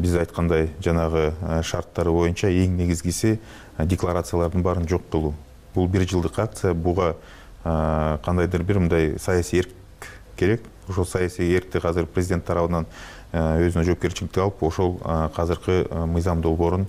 биз айткандай жанагы шарттары боюнча эң негизгиси декларациялардын баарын жок кылуу. Бул бир жылдык акция, буга кандайдыр бир мындай саясий эрк керек. Ошол саясий эркти азыр президент тарабынан өзүнө жоопкерчиликти алып, ошол азыркы мыйзам долбоорун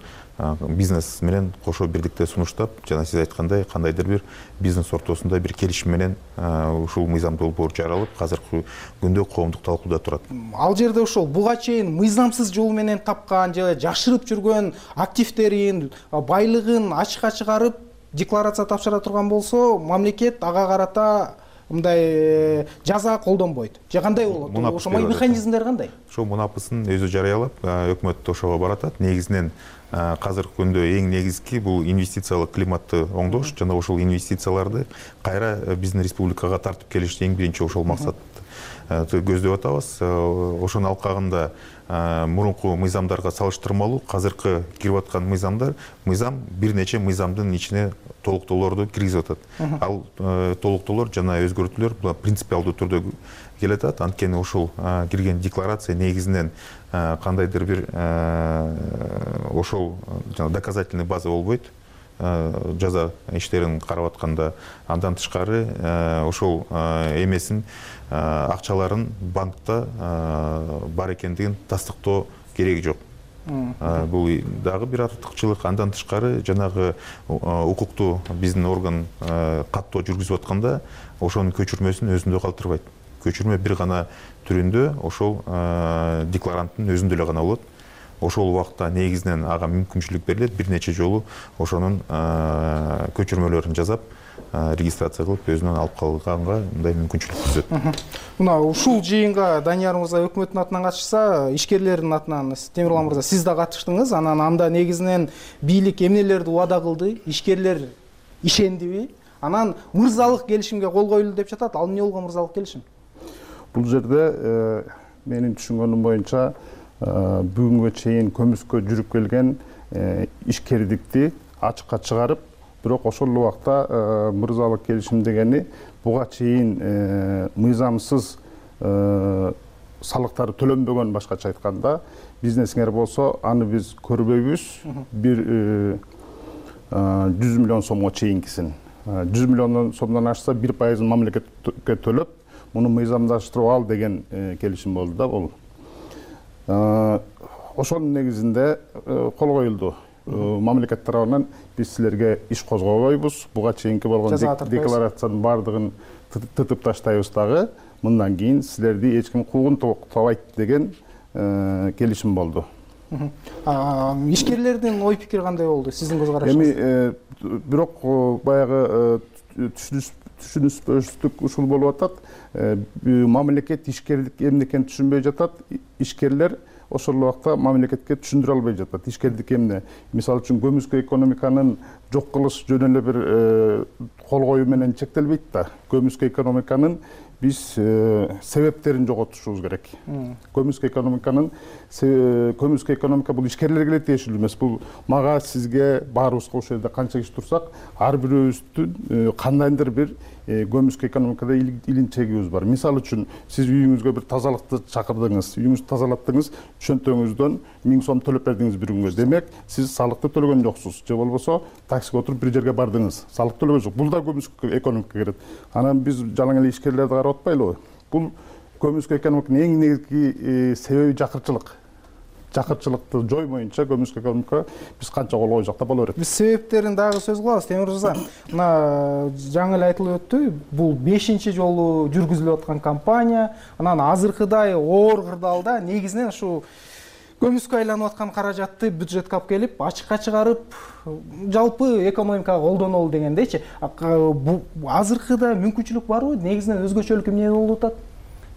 бизнес менен кошо бирдикте сунуштап, жана сиз айткандай кандайдыр бир бизнес ортосунда бир келишим менен ушул мыйзам долбоор жаралып, азыркы күндө коомдук талкууда турат. Ал жерде ошол буга чейин мыйзамсыз жол менен тапкан же жашырып жүргөн активдерин, байлыгын ачыкка чыгарып декларация тапшыра турган болсо, мамлекет ага карата мындай жаза колдонбойт. Же кандай болот? Ошо механизмдер кандай? Ошо мунапысын өзү жарыялап, өкмөт ошого баратат. Негизинен азыркы күндө эң негизги бул инвестициялык климатты оңдош жана ошол инвестицияларды кайра биздин республикага тартып келиш эң биринчи ошол максат көздөп атабыз. Ошонун алкагында мурунку мыйзамдарга салыштырмалуу азыркы кирип аткан мыйзамдар, мыйзам бир нече мыйзамдын ичине толуктоолорду киргизип атат. Ал толуктоолор жана өзгөртүүлөр бул принципиалдуу түрдө келет атат. Анткени ошол кирген декларация негизинен кандайдыр бир ошол доказательный база болбойт. Жаза иштерин карап атканда, андан тышкары ошол эмесин акчаларын банкта бар экендигин тастыктоо кереги жок. Бул дагы бир артыкчылык. Андан тышкары жанагы укуктуу биздин орган каттоо жүргүзүп атканда ошонун көчүрмөсүн өзүндө калтырбайт. Көчүрмө бир гана түрүндө ошол декларанттын өзүндө эле гана болот. Ошол убакта негизинен ага мүмкүнчүлүк берилет, бир нече жолу ошонун көчүрмөлөрүн жасап, регистрация кылып өзүнөн алып калганга мындай мүмкүнчүлүк түзөт. Мына ушул жыйынга Данияр мырза өкмөттүн атынан катышса, ишкерлердин атынан Темирлан мырза сиз да катыштыңыз. Анан анда негизинен бийлик эмнелерди убада кылды, ишкерлер ишендиби? Анан мырзалык келишимге кол коюлду деп жатат. Ал эмне болгон мырзалык келишим? Бул жерде менин түшүнгөнүм боюнча бүгүнгө чейин көмүскө жүрүп келген ишкердикти ачыкка чыгарып, бирок ошол эле убакта мырзалык келишим дегени буга чейин мыйзамсыз салыктары төлөнбөгөн, башкача айтканда бизнесиңер болсо аны биз көрбөйбүз. Бир жүз миллион сомго чейинкисин, жүз миллион сомдон ашса бир пайызын мамлекетке төлөп, муну мыйзамдаштырып ал деген келишим болду да. Бул ошонун негизинде кол коюлду. Мамлекет тарабынан биз силерге иш козгобойбуз, буга чейинки болгон декларациянын баардыгын тытып таштайбыз дагы, мындан кийин силерди эч ким куугун табайт деген келишим болду. Ишкерлердин ой пикири кандай болду сиздин көз карашыңыз? Эми бирок баягы түшүнүшсүздүк ушул болуп атат. Мамлекет ишкерлик эмне экенин түшүнбөй жатат. Ишкерлер ошол убакта мамлекетке түшүндүрө албай жатат. Ишкерлик эмне? Мисалы үчүн көмүскө экономиканын жок кылыш жөн эле бир кол коюу менен чектелбейт да. Көмүскө экономиканын биз себептерин жоготушубуз керек. Көмүскө экономиканын көмүскө экономика бул ишкерлерге эле тиешелүү эмес. Бул мага, сизге, баарыбызга ошол жерде канча киши турсак, ар бирөөбүздүн кандайдыр бир көмүскө экономикада илинчегибиз бар. Мисалы үчүн сиз үйүңүзгө бир тазалыкты чакырдыңыз, үйүңүздү тазалаттыңыз, чөнтөгүңүздөн миң сом төлөп бердиңиз бир күнгө. Демек, сиз салыкты төлөгөн жоксуз. Же болбосо таксиге отуруп бир жерге бардыңыз, салык төлөгөн жок. Бул да көмүскө экономикага кирет. Анан биз жалаң эле ишкерлерди карап атпайлыбы? Бул көмүскө экономиканын эң негизги себеби жакырчылык. Жакырчылыкты жоймоюнча көмүскө экономика биз канча кол койсок да боло берет. Биз себептерин дагы сөз кылабыз. Темир мырза, мына жаңы эле айтылып өттү, бул бешинчи жолу жүргүзүлүп аткан кампания. Анан азыркыдай оор кырдаалда негизинен ушу көмүскө айланып аткан каражатты бюджетке алып келип, ачыкка чыгарып, жалпы экономикага колдонолу дегендейчи. Азыркыда мүмкүнчүлүк барбы? Негизинен өзгөчөлүк эмне болуп атат?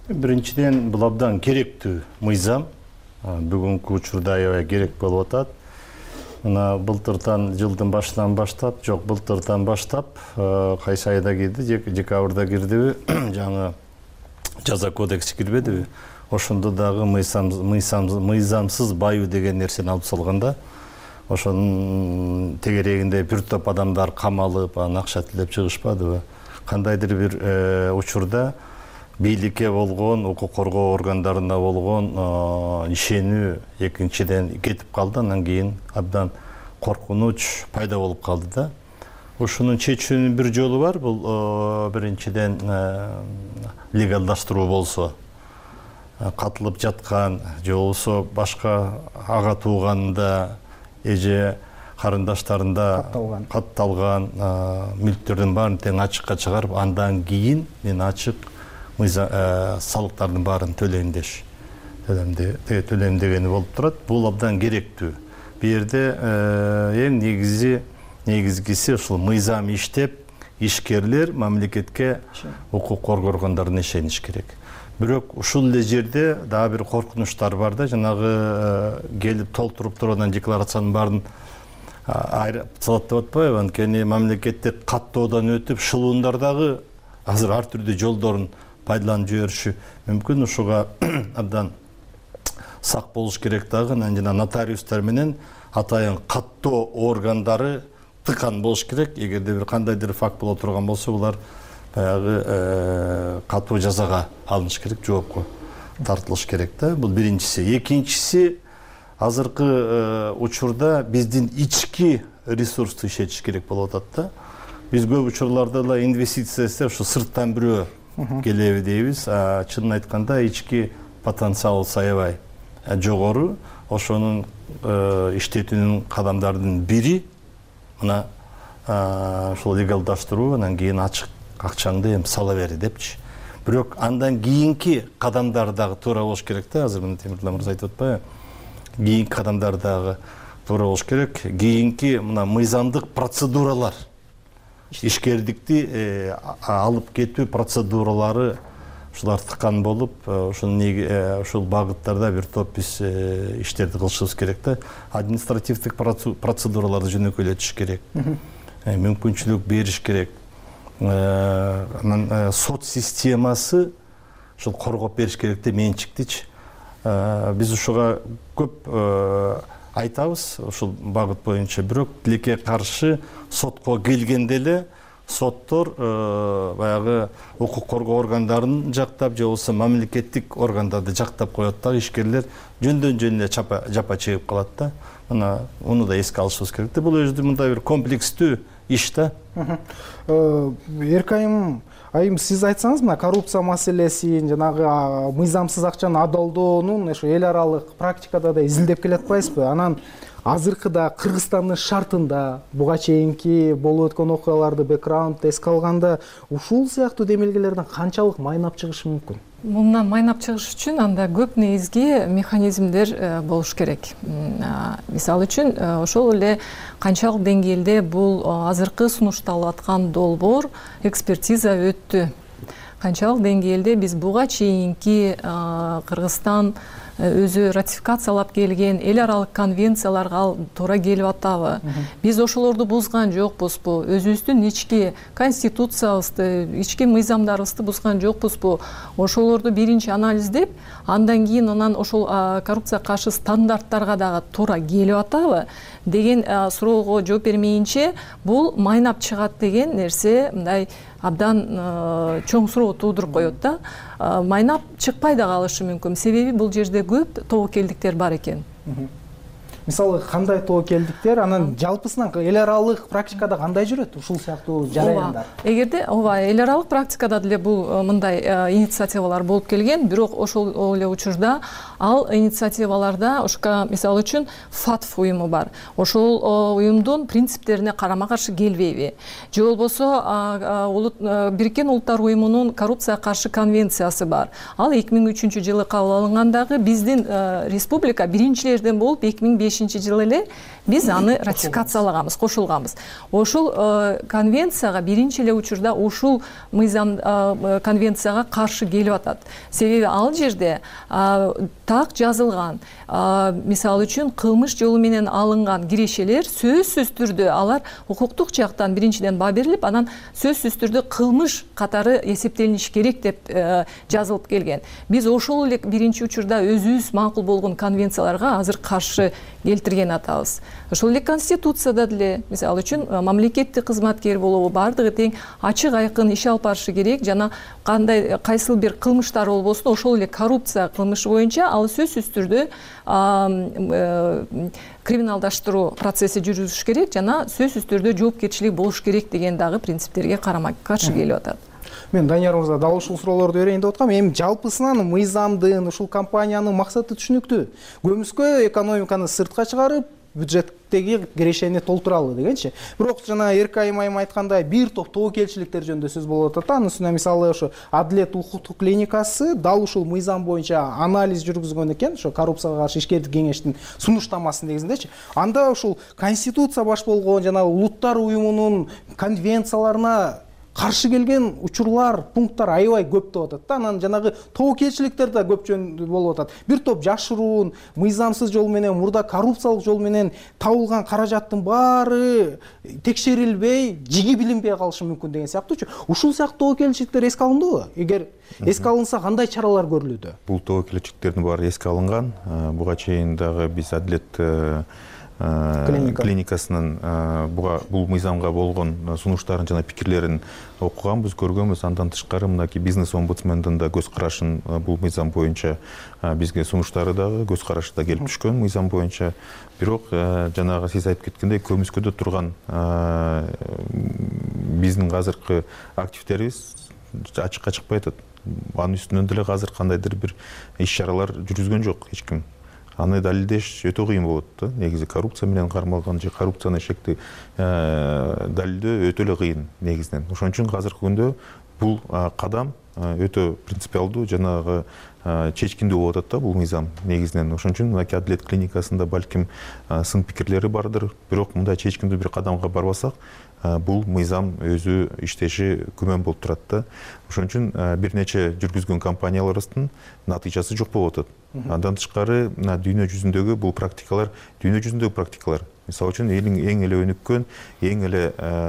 Биринчиден, бул абдан керектүү мыйзам. Бүгүнкү учурда аябай керек болуп атат. Мына былтыртан, жылдын башынан баштап, жок былтыртан баштап, кайсы айда кирди, декабрда кирдиби, жаңы жаза кодекси кирбедиби? Ошондо дагы мыйзамсыз баюу деген нерсени алып салганда, ошонун тегерегинде бир топ адамдар камалып, анан акча төлөп чыгышпадыбы? Кандайдыр бир учурда бийликке болгон, укук коргоо органдарына болгон ишенүү экинчиден кетип калды, анан кийин абдан коркунуч пайда болуп калды да. Ушунун чечүүнүн бир жолу бар, бул биринчиден легалдаштыруу болсо, катылып жаткан же болбосо башка ага тууганында эже карындаштарында катталган мүлктөрдүн баарын тең ачыкка чыгарып, андан кийин мен ачык салыктардын баарын төлөйм деш. Төлөйм дегени болуп турат. Бул абдан керектүү. Бу жерде эң негизи негизгиси ушул мыйзам иштеп, ишкерлер мамлекетке, укук коргоо органдарына ишениш керек. Бирок ушул эле жерде дагы бир коркунучтар бар да, жанагы келип толтуруп турган декларациянын баарын айрып салат деп атпайбы? Анткени мамлекетте каттоодон өтүп, шылуундар дагы азыр ар түрдүү жолдорун пайдаланып жибериши мүмкүн. Ушуга абдан сак болуш керек дагы. Анан жана нотариустар менен атайын каттоо органдары тыкан болуш керек. Эгерде бир кандайдыр факт боло турган болсо, булар баягы катуу жазага алыныш керек, жоопко тартылыш керек да. Бул биринчиси. Экинчиси, азыркы учурда биздин ички ресурсту ишетиш керек болуп атат да. Биз көп учурларда эле инвестиция эстеп, ушу сырттан бирөө келеби дейбиз. Чынын айтканда ички потенциал аябай жогору. Ошонун иштетүүнүн кадамдарынын бири мына ушул легалдаштыруу, анан кийин ачык акчаңды эми сала бер депчи. Бирок андан кийинки кадамдар дагы туура болуш керек да. Азыр мына Темиртау мырза айтып атпайбы? Кийинки кадамдар дагы туура болуш керек. Кийинки мына мыйзамдык процедуралар, ишкердикти алып кетүү процедуралары ушулар тыкан болуп, ушул багыттарда бир топ биз иштерди кылышыбыз керек да. Административдик процедураларды жөнөкөйлөтүш керек, мүмкүнчүлүк бериш керек. Анан сот системасы ушул коргоп бериш керек да, менчиктичи. Биз ушуга көп айтабыз ушул багыт боюнча. Бирок тилекке каршы сотко келгенде эле соттор баягы укук коргоо органдарын жактап же болбосо мамлекеттик органдарды жактап коет да, ишкерлер жөндөн жөн эле жапа чегип калат да. Мына уну да эске алышыбыз керек да. Бул өзү мындай бир комплекстүү иш да. Эркайым айым, сиз айтсаңыз, мына коррупция маселесин, жанагы мыйзамсыз акчаны адалдоонун ошо эл аралык практикада да изилдеп келатпайсызбы? Анан азыркыда Кыргызстандын шартында буга чейинки болуп өткөн окуяларды бэкграундты эске алганда ушул сыяктуу демилгелерден канчалык майнап чыгышы мүмкүн? Мындан майнап чыгыш үчүн анда көп негизги механизмдер болуш керек. Мисалы үчүн ошол эле канчалык деңгээлде бул азыркы сунушталып аткан долбоор экспертиза өттү. Канчалык деңгээлде биз буга чейинки Кыргызстан өзү ратификациялап келген эл аралык конвенцияларга туура келип атабы? Биз ошолорду бузган жокпузбу? Өзүбүздүн ички конституциябызды, ички мыйзамдарыбызды бузган жокпузбу? Ошолорду биринчи анализдеп, андан кийин анан ошол коррупцияга каршы стандарттарга дагы туура келип атабы деген суроого жооп бермейинче бул майнап чыгат деген нерсе мындай абдан чоң суроо туудуруп коет да. Майнап чыкпай да калышы мүмкүн. Себеби бул жерде көп тобокелдиктер бар экен. Мисалы кандай тобокелдиктер, анан жалпысынан эл аралык практикада кандай жүрөт ушул сыяктуу жараяндар? Эгерде ооба эл аралык практикада деле бул мындай инициативалар болуп келген, бирок ошол эле учурда ал инициативаларда ошко мисалы үчүн ФАТФ уюму бар. Ошол уюмдун принциптерине карама каршы келбейби? Же болбосо Бириккен Улуттар уюмунун коррупцияга каршы конвенциясы бар. Ал эки миң үчүнчү жылы кабыл алынгандагы биздин республика биринчилерден болуп эки миң бешинчи жылы эле биз аны ратификациялаганбыз, кошулганбыз. Ошол конвенцияга биринчи эле учурда ушул мыйзам конвенцияга каршы келип атат. Себеби ал жерде так жазылган, мисалы үчүн кылмыш жолу менен алынган кирешелер сөзсүз түрдө алар укуктук жактан биринчиден баа берилип, анан сөзсүз түрдө кылмыш катары эсептелиниш керек деп жазылып келген. Биз ошол эле биринчи учурда өзүбүз макул болгон конвенцияларга азыр каршы келтирген атабыз. Ошол эле конституцияда деле мисалы үчүн мамлекеттик кызматкер болобу бардыгы тең ачык айкын иш алып барышы керек. Жана кандай кайсыл бир кылмыштар болбосун ошол эле коррупция кылмышы боюнча ал сөзсүз түрдө криминалдаштыруу процесси жүрүшүш керек жана сөзсүз түрдө жоопкерчилик болуш керек деген дагы принциптерге карама каршы келип атат. Мен Данияр мырза дал ушул суроолорду берейин деп аткам. Эми жалпысынан мыйзамдын, ушул компаниянын максаты түшүнүктүү. Көмүскө экономиканы сыртка чыгарып, бюджеттеги кирешени толтуралы дегенчи. Бирок жана Эркайым айым айткандай бир топ тобокелчиликтер жөнүндө сөз болуп атат. Анын үстүнө мисалы ошо Адилет укуктук клиникасы дал ушул мыйзам боюнча анализ жүргүзгөн экен, ошо коррупцияга каршы ишкердик кеңештин сунуштамасы негизиндечи. Анда ушул конституция баш болгон жана улуттар уюмунун конвенцияларына каршы келген учурлар, пункттар аябай көп деп атат да. Анан жанагы тобокелчиликтер да көп жөн болуп атат. Бир топ жашыруун, мыйзамсыз жол менен, мурда коррупциялык жол менен табылган каражаттын баары текшерилбей, жиги билинбей калышы мүмкүн деген сыяктуучу. Ушул сыяктуу тобокелчиликтер эске алындыбы? Эгер эске алынса, кандай чаралар көрүлүүдө? Бул тобокелчиликтердин баары эске алынган. Буга чейин дагы биз Адилет клиникасынын бул мыйзамга болгон сунуштарын жана пикирлерин окуганбыз, көргөнбүз. Андан тышкары мынакей бизнес омбудсмендин да көз карашын бул мыйзам боюнча бизге сунуштары дагы, көз карашы да келип түшкөн мыйзам боюнча. Бирок жанагы сиз айтып кеткендей көмүскөдө турган биздин азыркы активдерибиз ачыкка чыкпай атат. Анын үстүнөн деле азыр кандайдыр бир иш чаралар жүргүзгөн жок эч ким. Аны далилдеш өтө кыйын болот да. Негизи коррупция менен кармалган же коррупцияны шекти далилдөө өтө эле кыйын негизинен. Ошон үчүн азыркы күндө бул кадам өтө принципиалдуу, жанагы чечкиндүү болуп атат да бул мыйзам негизинен. Ошон үчүн мынакей Адилет клиникасында балким сын пикирлери бардыр. Бирок мындай чечкиндүү бир кадамга барбасак, бул мыйзам өзү иштеши күмөн болуп турат да. Ошон үчүн бир нече жүргүзгөн компанияларыбыздын натыйжасы жок болуп атат. Андан тышкары дүйнө жүзүндөгү бул практикалар, дүйнө жүзүндөгү практикалар. Мисалы үчүн элиң эң эле өнүккөн, эң эле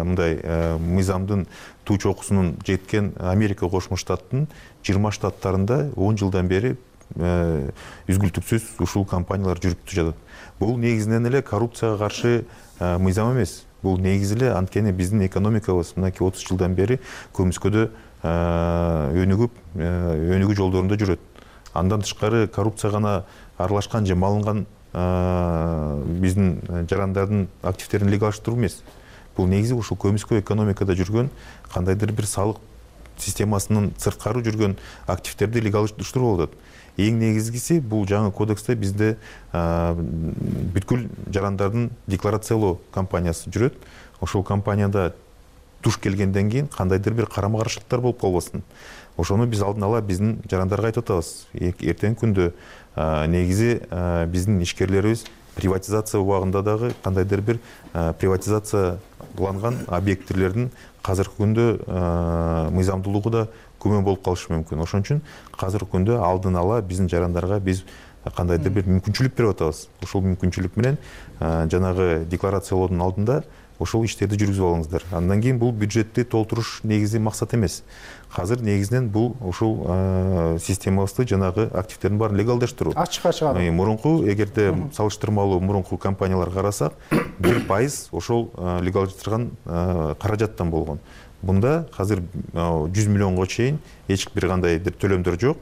мындай мыйзамдын туу чокусунун жеткен Америка Кошмо Штаттын жыйырма штаттарында он жылдан бери үзгүлтүксүз ушул компаниялар жүрүп жатат. Бул негизинен эле коррупцияга каршы мыйзам эмес. Бул негизи эле анткени биздин экономикабыз мынакей отуз жылдан бери көмүскөдө өнүгүп, өнүгүү жолдорунда жүрөт. Андан тышкары коррупция гана аралашкан же малынган биздин жарандардын активдерин легалдаштыруу эмес. Бул негизи ушул көмүскө экономикада жүргөн кандайдыр бир салык системасынын сырткары жүргөн активдерди легалдаштыруу болуп атат. Эң негизгиси бул жаңы кодексте бизде бүткүл жарандардын декларациялоо кампаниясы жүрөт. Ошол компанияда туш келгенден кийин кандайдыр бир карама каршылыктар болуп калбасын. Ошону биз алдын ала биздин жарандарга айтып атабыз. Эртеңки күндө негизи биздин ишкерлерибиз приватизация убагында дагы кандайдыр бир приватизацияланган объекттердин азыркы күндө мыйзамдуулугу да күмөн болуп калышы мүмкүн. Ошон үчүн азыркы күндө алдын ала биздин жарандарга биз кандайдыр бир мүмкүнчүлүк берип атабыз. Ошол мүмкүнчүлүк менен жанагы декларациялоодун алдында ошол иштерди жүргүзүп алыңыздар. Андан кийин бул бюджетти толтуруш негизи максат эмес. Азыр негизинен бул ушул системабызды жанагы активдердин баарын легалдаштыруу. Ачыкка чыгаруу. Мурунку эгерде салыштырмалуу мурунку компанияларга карасак, бир пайыз ошол легалдаштырган каражаттан болгон. Бунда азыр жүз миллионго чейин эч бир кандай бир төлөмдөр жок.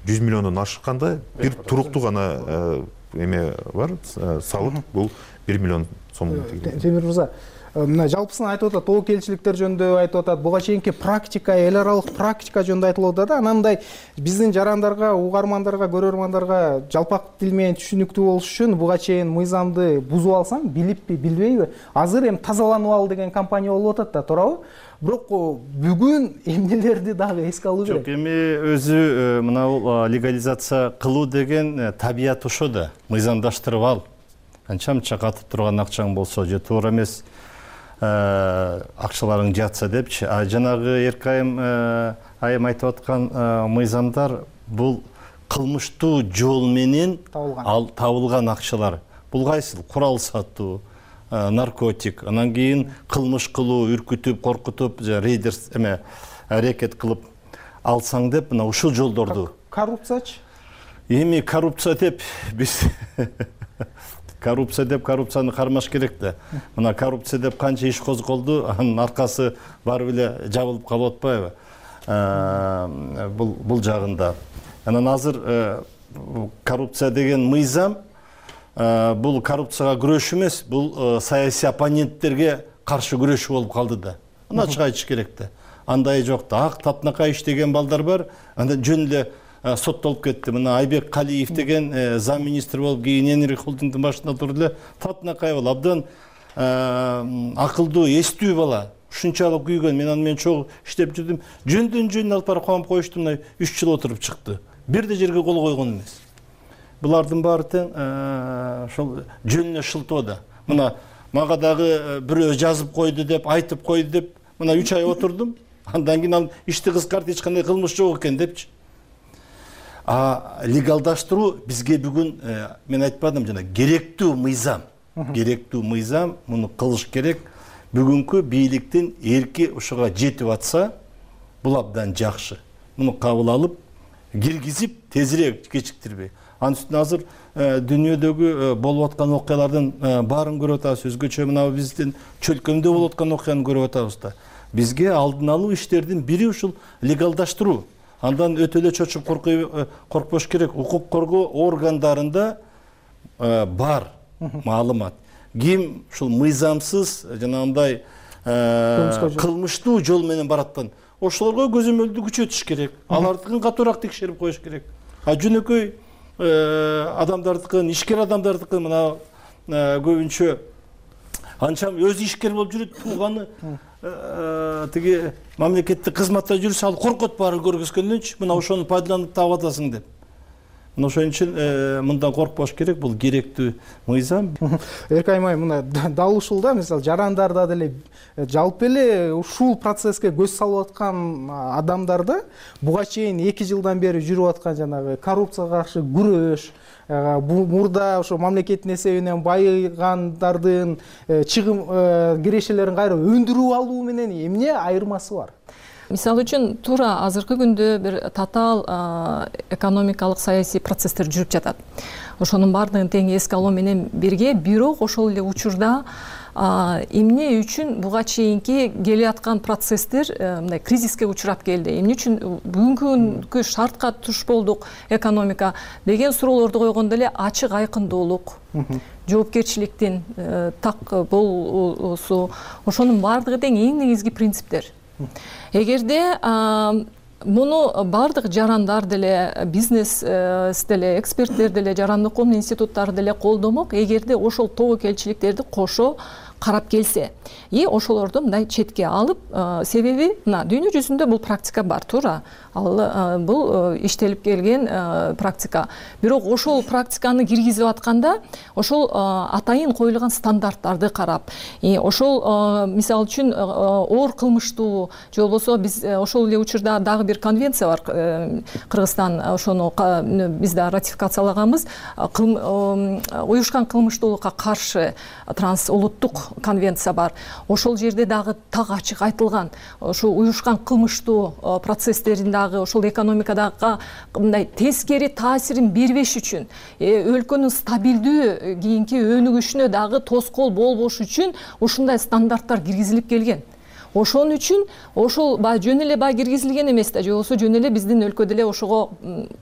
жүз миллиондон ашканда бир туруктуу гана эме бар, салык бул бир миллион сом. Темир мырза, мына жалпысын айтып атат, тобокелчиликтер жөнүндө айтып атат, буга чейинки практика, эл аралык практика жөнүндө айтылып атат да, анандай биздин жарандарга, угармандарга, көрөрмандарга жалпак тил менен түшүнүктүү болуш үчүн буга чейин мыйзамды бузуп алсаң, билиппи, билбейби, азыр эми тазаланып ал деген компания болуп атат да, туурабы? Бирок бүгүн эмнелерди дагы эске алуу керек? Жок, эми өзү мына легализация кылуу деген табият ошо да, мыйзамдаштырып ал. Канча-мынча катып турган акчаң болсо же туура эмес акчаларың жатса депчи. А жанагы Эркайым айым айтып аткан мыйзамдар бул кылмыштуу жол менен ал табылган акчалар. Бул кайсыл? Курал сатуу, наркотик, анан кийин кылмыш кылуу, үркүтүп, коркутуп, рейдер эме аракет кылып алсаң деп, мына ушул жолдорду. Коррупциячы? Эми коррупция деп биз коррупция деп коррупцияны кармаш керек да. Мына коррупция деп канча иш козголду, анын аркасы барып эле жабылып калып атпайбы? Бул бул жагында. Анан азыр коррупция деген мыйзам бул коррупцияга күрөш эмес, бул саясий оппоненттерге каршы күрөшүү болуп калды да. Аны ачык айтыш керек да. Андай жок да. Ак татынакай иштеген балдар бар, андан жөн эле соттолуп кетти. Мына Айбек Калиев деген зам министр болуп, кийин Энерги холдингдин башында турду эле, татынакай болуп, абдан акылдуу, эстүү бала. Ушунчалык күйгөн, мен аны менен чогуу иштеп жүрдүм. Жөндөн жөн алып барып коюп коюшту, мына үч жыл отуруп чыкты. Бир да жерге кол койгон эмес. Булардын баары тең ошол жөнүнө шылтоо да. Мына мага дагы бирөө жазып койду деп, айтып койду деп, мына үч ай отурдум. Андан кийин ал ишти кыскартып, эч кандай кылмыш жок экен депчи. А легалдаштыруу бизге бүгүн, мен айтпадым жана, керектүү мыйзам. Керектүү мыйзам, муну кылыш керек. Бүгүнкү бийликтин эрки ушуга жетип атса, бул абдан жакшы. Муну кабыл алып, киргизип, тезирээк кечиктирбей. Анын үстүнө азыр дүйнөдөгү болуп аткан окуялардын баарын көрүп атабыз. Өзгөчө мына биздин чөлкөмдө болуп аткан окуяны көрүп атабыз да. Бизге алдын алуу иштердин бири ушул легалдаштыруу. Андан өтө эле чочуп коркпош керек. Укук коргоо органдарында бар маалымат. Ким ушул мыйзамсыз жанагындай кылмыштуу жол менен бараттан, ошолорго көзөмөлдү күчөтүш керек. Алардыкын катуураак текшерип коюш керек. А жөнөкөй адамдардыкын, ишкер адамдардыкын мына көбүнчө анчам өзү ишкер болуп жүрөт, тууганы тиги мамлекеттик кызматта жүрсө, ал коркот баарын көргөзгөндөнчү, мына ошону пайдаланып таап атасың деп. Мына ошон үчүн мындан коркпош керек, бул керектүү мыйзам. Эркайым айым, мына дал ушул да, мисалы жарандарда деле жалпы эле ушул процесске көз салып аткан адамдарды буга чейин эки жылдан бери жүрүп аткан жанагы коррупцияга каршы күрөш, мурда ошо мамлекеттин эсебинен байыгандардын чыгым кирешелерин кайра өндүрүп алуу менен эмне айырмасы бар? мисалы үчүн туура азыркы күндө бир татаал экономикалык саясий процесстер жүрүп жатат. Ошонун баардыгын тең эске алуу менен бирге, бирок ошол эле учурда эмне үчүн буга чейинки келаткан процесстер мындай кризиске учурап келди, эмне үчүн бүгүнкү шартка туш болдук экономика деген суроолорду койгондо эле ачык айкындуулук, жоопкерчиликтин так болуусу, ошонун баардыгы тең эң негизги принциптер. Эгерде муну баардык жарандар деле, бизнес деле, эксперттер деле, жарандык коом институттары деле колдомок, эгерде ошол тобокелчиликтерди кошо карап келсе, и ошолорду мындай четке алып, себеби мына дүйнө жүзүндө бул практика бар, туура. Ал бул иштелип келген практика. Бирок ошол практиканы киргизип атканда, ошол атайын коюлган стандарттарды карап, и ошол мисалы үчүн оор кылмыштуу, же болбосо биз ошол эле учурда дагы бир конвенция бар, Кыргызстан ошону биз да ратификациялаганбыз, уюшкан кылмыштуулукка каршы трансулуттук конвенция бар. Ошол жерде дагы так ачык айтылган, ошо уюшкан кылмыштуу процесстерин дагы ошол экономикадагы мындай тескери таасирин бербеш үчүн, өлкөнүн стабилдүү кийинки өнүгүшүнө дагы тоскоол болбош үчүн ушундай стандарттар киргизилип келген. Ошон үчүн ошол баягы жөн эле баягы киргизилген эмес да, же болбосо жөн эле биздин өлкөдө эле ошого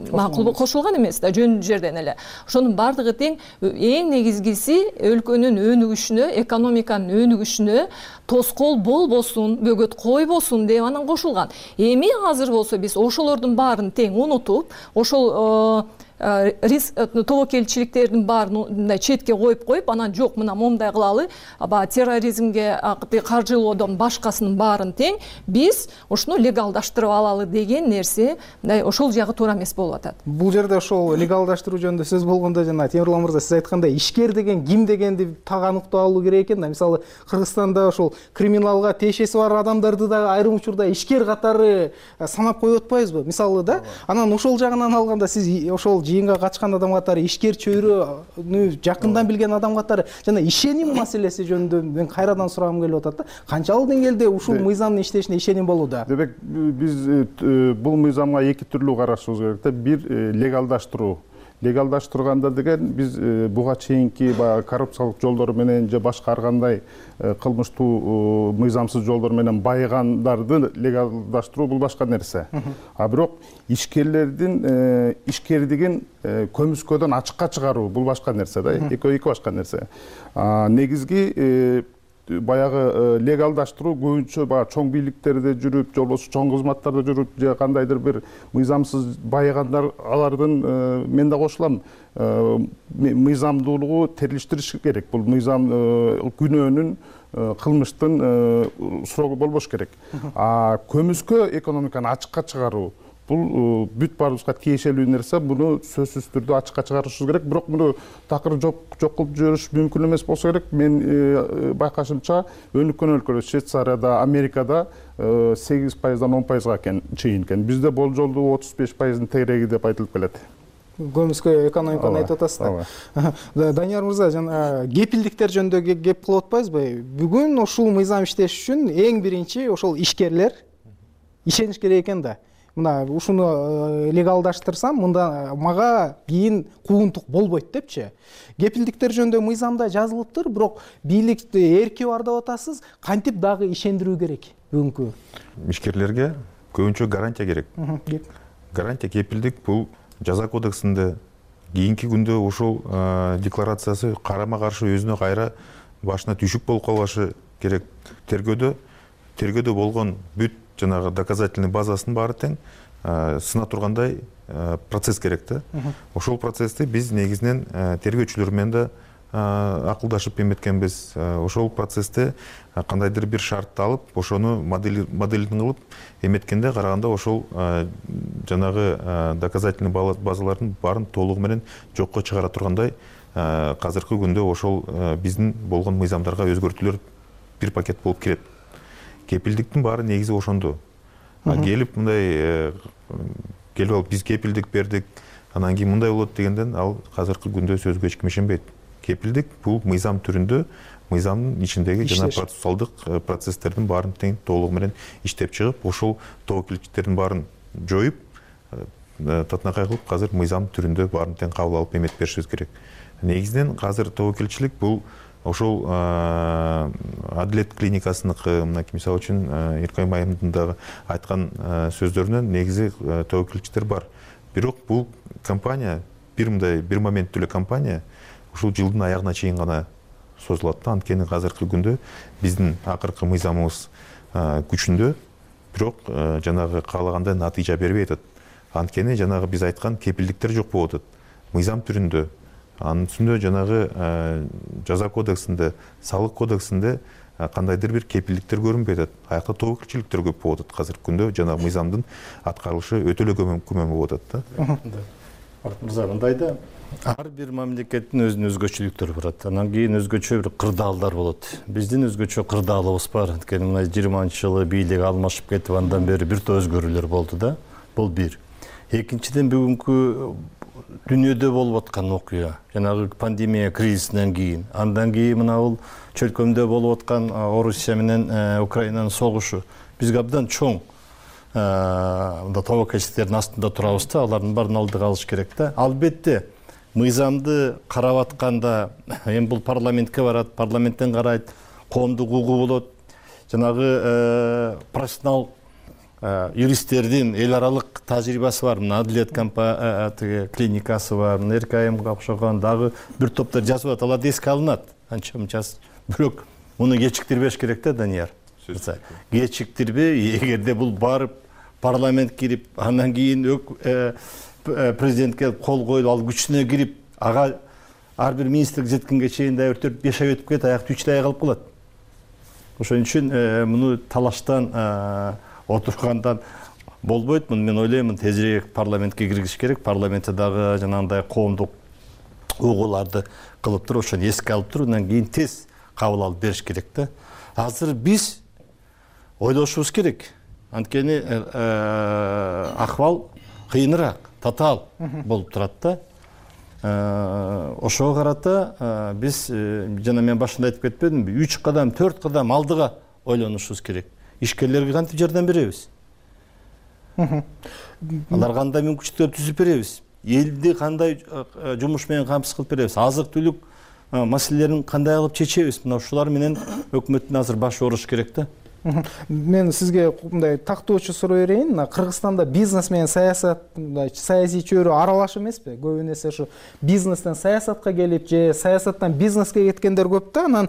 макул кошулган эмес да, жөн жерден эле. Ошонун баардыгы тең эң негизгиси өлкөнүн өнүгүшүнө, экономиканын өнүгүшүнө тоскоол болбосун, бөгөт койбосун деп анан кошулган. Эми азыр болсо биз ошолордун баарын тең унутуп, ошол риск тобокелчиликтердин баарын мындай четке коюп коюп, анан жок мына момундай кылалы, баягы терроризмге каржылоодон башкасынын баарын тең биз ушуну легалдаштырып алалы деген нерсе мындай ошол жагы туура эмес болуп атат. Бул жерде ошол легалдаштыруу жөнүндө сөз болгондо жана Темирлан мырза сиз айткандай ишкер деген ким дегенди так аныктап алуу керек экен да. Мисалы Кыргызстанда ошол криминалга тиешеси бар адамдарды дагы айрым учурда ишкер катары санап коюп атпайбызбы? Мисалы да. Анан ошол жагынан алганда сиз ошол жыйынга катышкан адам катары, ишкер чөйрөнү жакындан билген адам катары жана ишеним маселеси жөнүндө мен кайрадан сурагым келип атат да. Канчалык деңгээлде ушул мыйзамдын иштешине ишеним болууда? Демек, биз бул мыйзамга эки түрлүү карашыбыз керек да. Бир легалдаштыруу. Легалдаштырганда деген биз буга чейинки баягы коррупциялык жолдор менен же башка ар кандай кылмыштуу мыйзамсыз жолдор менен байыгандарды легалдаштыруу бул башка нерсе. А бирок ишкерлердин ишкердигин көмүскөдөн ачыкка чыгаруу бул башка нерсе да. Экөө эки башка нерсе. Негизги баягы легалдаштыруу көбүнчө баягы чоң бийликтерде жүрүп, же болбосо чоң кызматтарда жүрүп, же кандайдыр бир мыйзамсыз байыгандар, алардын мен да кошулам, мыйзамдуулугу терилиштириш керек. Бул мыйзам күнөөнүн, кылмыштын срогу болбош керек. А көмүскө экономиканы ачыкка чыгаруу бул бүт баарыбызга тиешелүү нерсе. Буну сөзсүз түрдө ачыкка чыгарышыбыз керек. Бирок муну такыр жок жок кылып жибериш мүмкүн эмес болсо керек. Мен байкашымча өнүккөн өлкөлөр, Швейцарияда, Америкада сегиз пайыздан он пайызга чейин экен. Бизде болжолдуу отуз беш пайыздын тегереги деп айтылып келет. Көмүскө экономиканы айтып атасыз да. Данияр мырза, жана кепилдиктер жөнүндө кеп кылып атпайсызбы? Бүгүн ушул мыйзам иштеш үчүн эң биринчи ошол ишкерлер ишениш керек экен да. Мына ушуну легалдаштырсам, мында мага кийин куунтук болбойт депчи. Кепилдиктер жөнүндө мыйзамда жазылыптыр, бирок бийликти эрки бар деп атасыз. Кантип дагы ишендирүү керек бүгүнкү ишкерлерге? Көбүнчө гарантия керек. Гарантия, кепилдик бул жаза кодексинде кийинки күндө ушул декларациясы карама каршы өзүнө кайра башына түшүк болуп калбашы керек. Тергөөдө тергөөдө болгон бүт жанагы доказательный базасынын баары тең сына тургандай процесс керек да. Ошол процессти биз негизинен тергөөчүлөр менен да акылдашып эметкенбиз. Ошол процессте кандайдыр бир шартты алып, ошону моделин кылып эметкенде караганда ошол жанагы доказательный базалардын баарын толугу менен жокко чыгара тургандай азыркы күндө ошол биздин болгон мыйзамдарга өзгөртүүлөр бир пакет болуп келет. Кепилдиктин баары негизи ошондо. Келип мындай келип алып биз кепилдик бердик, анан кийин мындай болот дегенден ал азыркы күндө сөзгө эч ким ишенбейт. Кепилдик бул мыйзам түрүндө мыйзамдын ичиндеги жана процессуалдык процесстердин баарын тең толугу менен иштеп чыгып, ошол тобокелчиликтердин баарын жоюп, татынакай кылып азыр мыйзам түрүндө баарын тең кабыл алып эмет беришибиз керек. Негизинен азыр тобокелчилик бул ошол Адилет клиникасыныкы, мынакей мисалы үчүн Иркай Майымдын дагы айткан сөздөрүнөн негизи тобокелчиликтер бар. Бирок бул компания бир мындай бир моменттүү эле компания ушул жылдын аягына чейин гана созулат да. Анткени азыркы күндө биздин акыркы мыйзамыбыз күчүндө, бирок жанагы каалагандай натыйжа бербей атат. Анткени жанагы биз айткан кепилдиктер жок болуп атат. Мыйзам түрүндө, анын үстүндө жанагы жаза кодексинде, салык кодексинде кандайдыр бир кепилдиктер көрүнбөй атат. Аякта тобокелчиликтер көп болуп атат азыркы күндө. Жанагы мыйзамдын аткарылышы өтө эле көмөм болуп атат да. Мырза, мындайда ар бир мамлекеттин өзүнүн өзгөчөлүктөрү барат. Анан кийин өзгөчө бир кырдаалдар болот. Биздин өзгөчө кырдаалыбыз бар. Анткени мына жыйырманчы жылы бийлик алмашып кетип, андан бери бир топ өзгөрүүлөр болду да. Бул бир. Экинчиден бүгүнкү дүйнөдө болуп аткан окуя, жанагы пандемия кризисинен кийин, андан кийин мына бул чөлкөмдө болуп аткан Орусия менен Украинанын согушу бизге абдан чоң мында тобокелчиликтердин астында турабыз да, алардын баарын алдыга алыш керек да. Албетте мыйзамды карап атканда эми бул парламентке барат, парламенттен карайт, коомдук угуу болот. Жанагы профессионал юристтердин эл аралык тажрыйбасы бар. Мына Адилет клиникасы бар, мына Эркайымга окшогон дагы бир топтор жазып атат, алар эске алынат. Анча мынчасы. Бирок муну кечиктирбеш керек да, Данияр. Кечиктирбей, эгерде бул барып парламент кирип, андан кийин президентке кол коюлуп, ал күчүнө кирип, ага ар бир министрлик жеткенге чейин да төрт беш ай өтүп кетет, аякта үч ай калып калат. Ошон үчүн муну талаштан отургандан болбойт. Мен ойлойм, тезирээк парламентке киргизиш керек. Парламентте дагы жанагындай коомдук угууларды кылып туруп, ошону эске алып туруп, андан кийин тез кабыл алып бериш керек да. Азыр биз ойлошубуз керек. Анткени акыбал кыйыныраак, татаал болуп турат да. Ошого карата биз, жана мен башында айтып кетпедимби, үч кадам, төрт кадам алдыга ойлонушубуз керек. Ишкерлерге кантип жардам беребиз? Аларга кандай мүмкүнчүлүктөр түзүп беребиз? Элди кандай жумуш менен камсыз кылып беребиз? Азык-түлүк маселелерин кандай кылып чечебиз? Мына ушулар менен өкмөттүн азыр башы ооруш керек да. Мен сизге мындай тактоочу суроо берейин. Кыргызстанда бизнес менен саясат, мындай саясий чөйрө аралаш эмеспи? Көбүн эсе ушу бизнестен саясатка келип же саясаттан бизнеске кеткендер көп да. Анан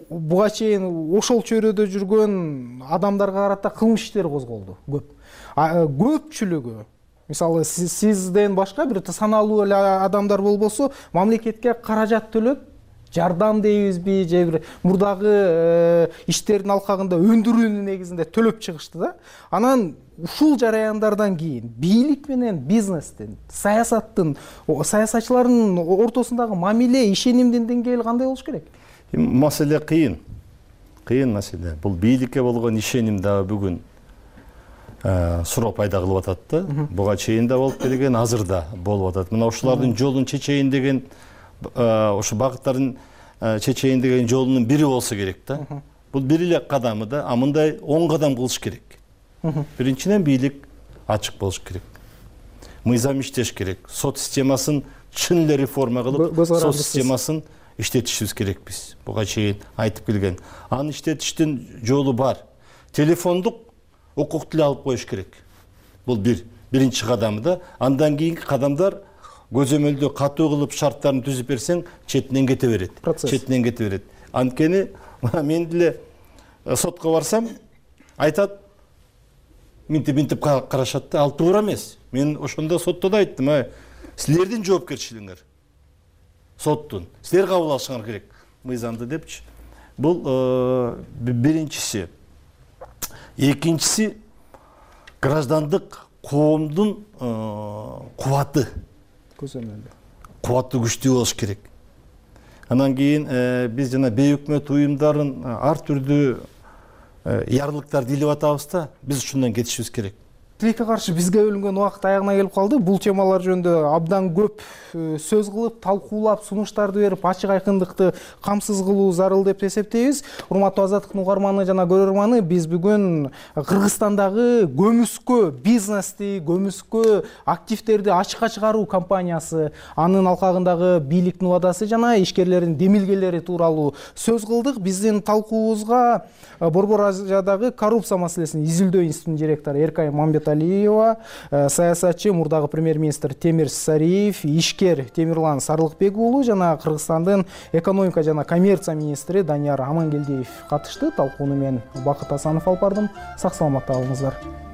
буга чейин ошол чөйрөдө жүргөн адамдарга карата кылмыш иштери козголду көп. Көпчүлүгү, мисалы сизден башка бир саналуу эле адамдар болбосо, мамлекетке каражат төлөп жардам дейбизби же бир мурдагы иштердин алкагында өндүрүүнүн негизинде төлөп чыгышты да. Анан ушул жараяндардан кийин бийлик менен бизнестин, саясаттын, саясатчылардын ортосундагы мамиле, ишенимдин деңгээли кандай болуш керек? Маселе кыйын. Кыйын маселе. Бул бийликке болгон ишеним дагы бүгүн суроо пайда кылып атат да. Буга чейин да болуп келген, азыр да болуп атат. Мына ушулардын жолун чечейин деген, ошо багыттардын чечейин деген жолунун бири болсо керек да. Бул бир эле кадамы да, а мындай он кадам кылыш керек. Биринчиден бийлик ачык болуш керек. Мыйзам иштеш керек. Сот системасын чын эле реформа кылып, сот системасын иштетишибиз керек биз. Буга чейин айтып келген. Аны иштетиштин жолу бар. Телефондук укукту алып коюш керек. Бул бир биринчи кадамы да. Андан кийинки кадамдар көзөмөлдө катуу кылып шарттарын түзүп берсең, четинен кете берет. Четинен кете берет. Анткени мен деле сотко барсам, айтат, минтип-минтип карашат да, ал туура эмес. Мен ошондо сотто да айттым, силердин жоопкерчилигиңер. Соттун. Силер кабыл алышыңар керек мыйзамды депчи. Бул биринчиси. Экинчиси граждандык коомдун кубаты. Кубаты күчтүү болуш керек. Андан кийин биз жана бейөкмөт уюмдарын ар түрдүү ярлыктарды илип атабыз да, биз ушундан кетишибиз керек. тилекке каршы бизге бөлүнгөн убакыт аягына келип калды. Бул темалар жөнүндө абдан көп сөз кылып, талкуулап, сунуштарды берип, ачык айкындыкты камсыз кылуу зарыл деп эсептейбиз. Урматтуу Азаттыктын угарманы жана көрөрманы, биз бүгүн Кыргызстандагы көмүскө бизнести, көмүскө активдерди ачыкка чыгаруу кампаниясы, анын алкагындагы бийликтин убадасы жана ишкерлердин демилгелери тууралуу сөз кылдык. Биздин талкуубузга Борбор Азиядагы коррупция маселесин изилдөө институтунун директору Эркай Мамбеталиева, саясатчы мурдагы премьер-министр Темир Сариев, ишкер Темирлан Сарлыкбек уулу жана Кыргызстандын экономика жана коммерция министри Данияр Амангелдиев катышты. Талкууну мен Бакыт Асанов алып бардым. Сак саламатта болуңуздар.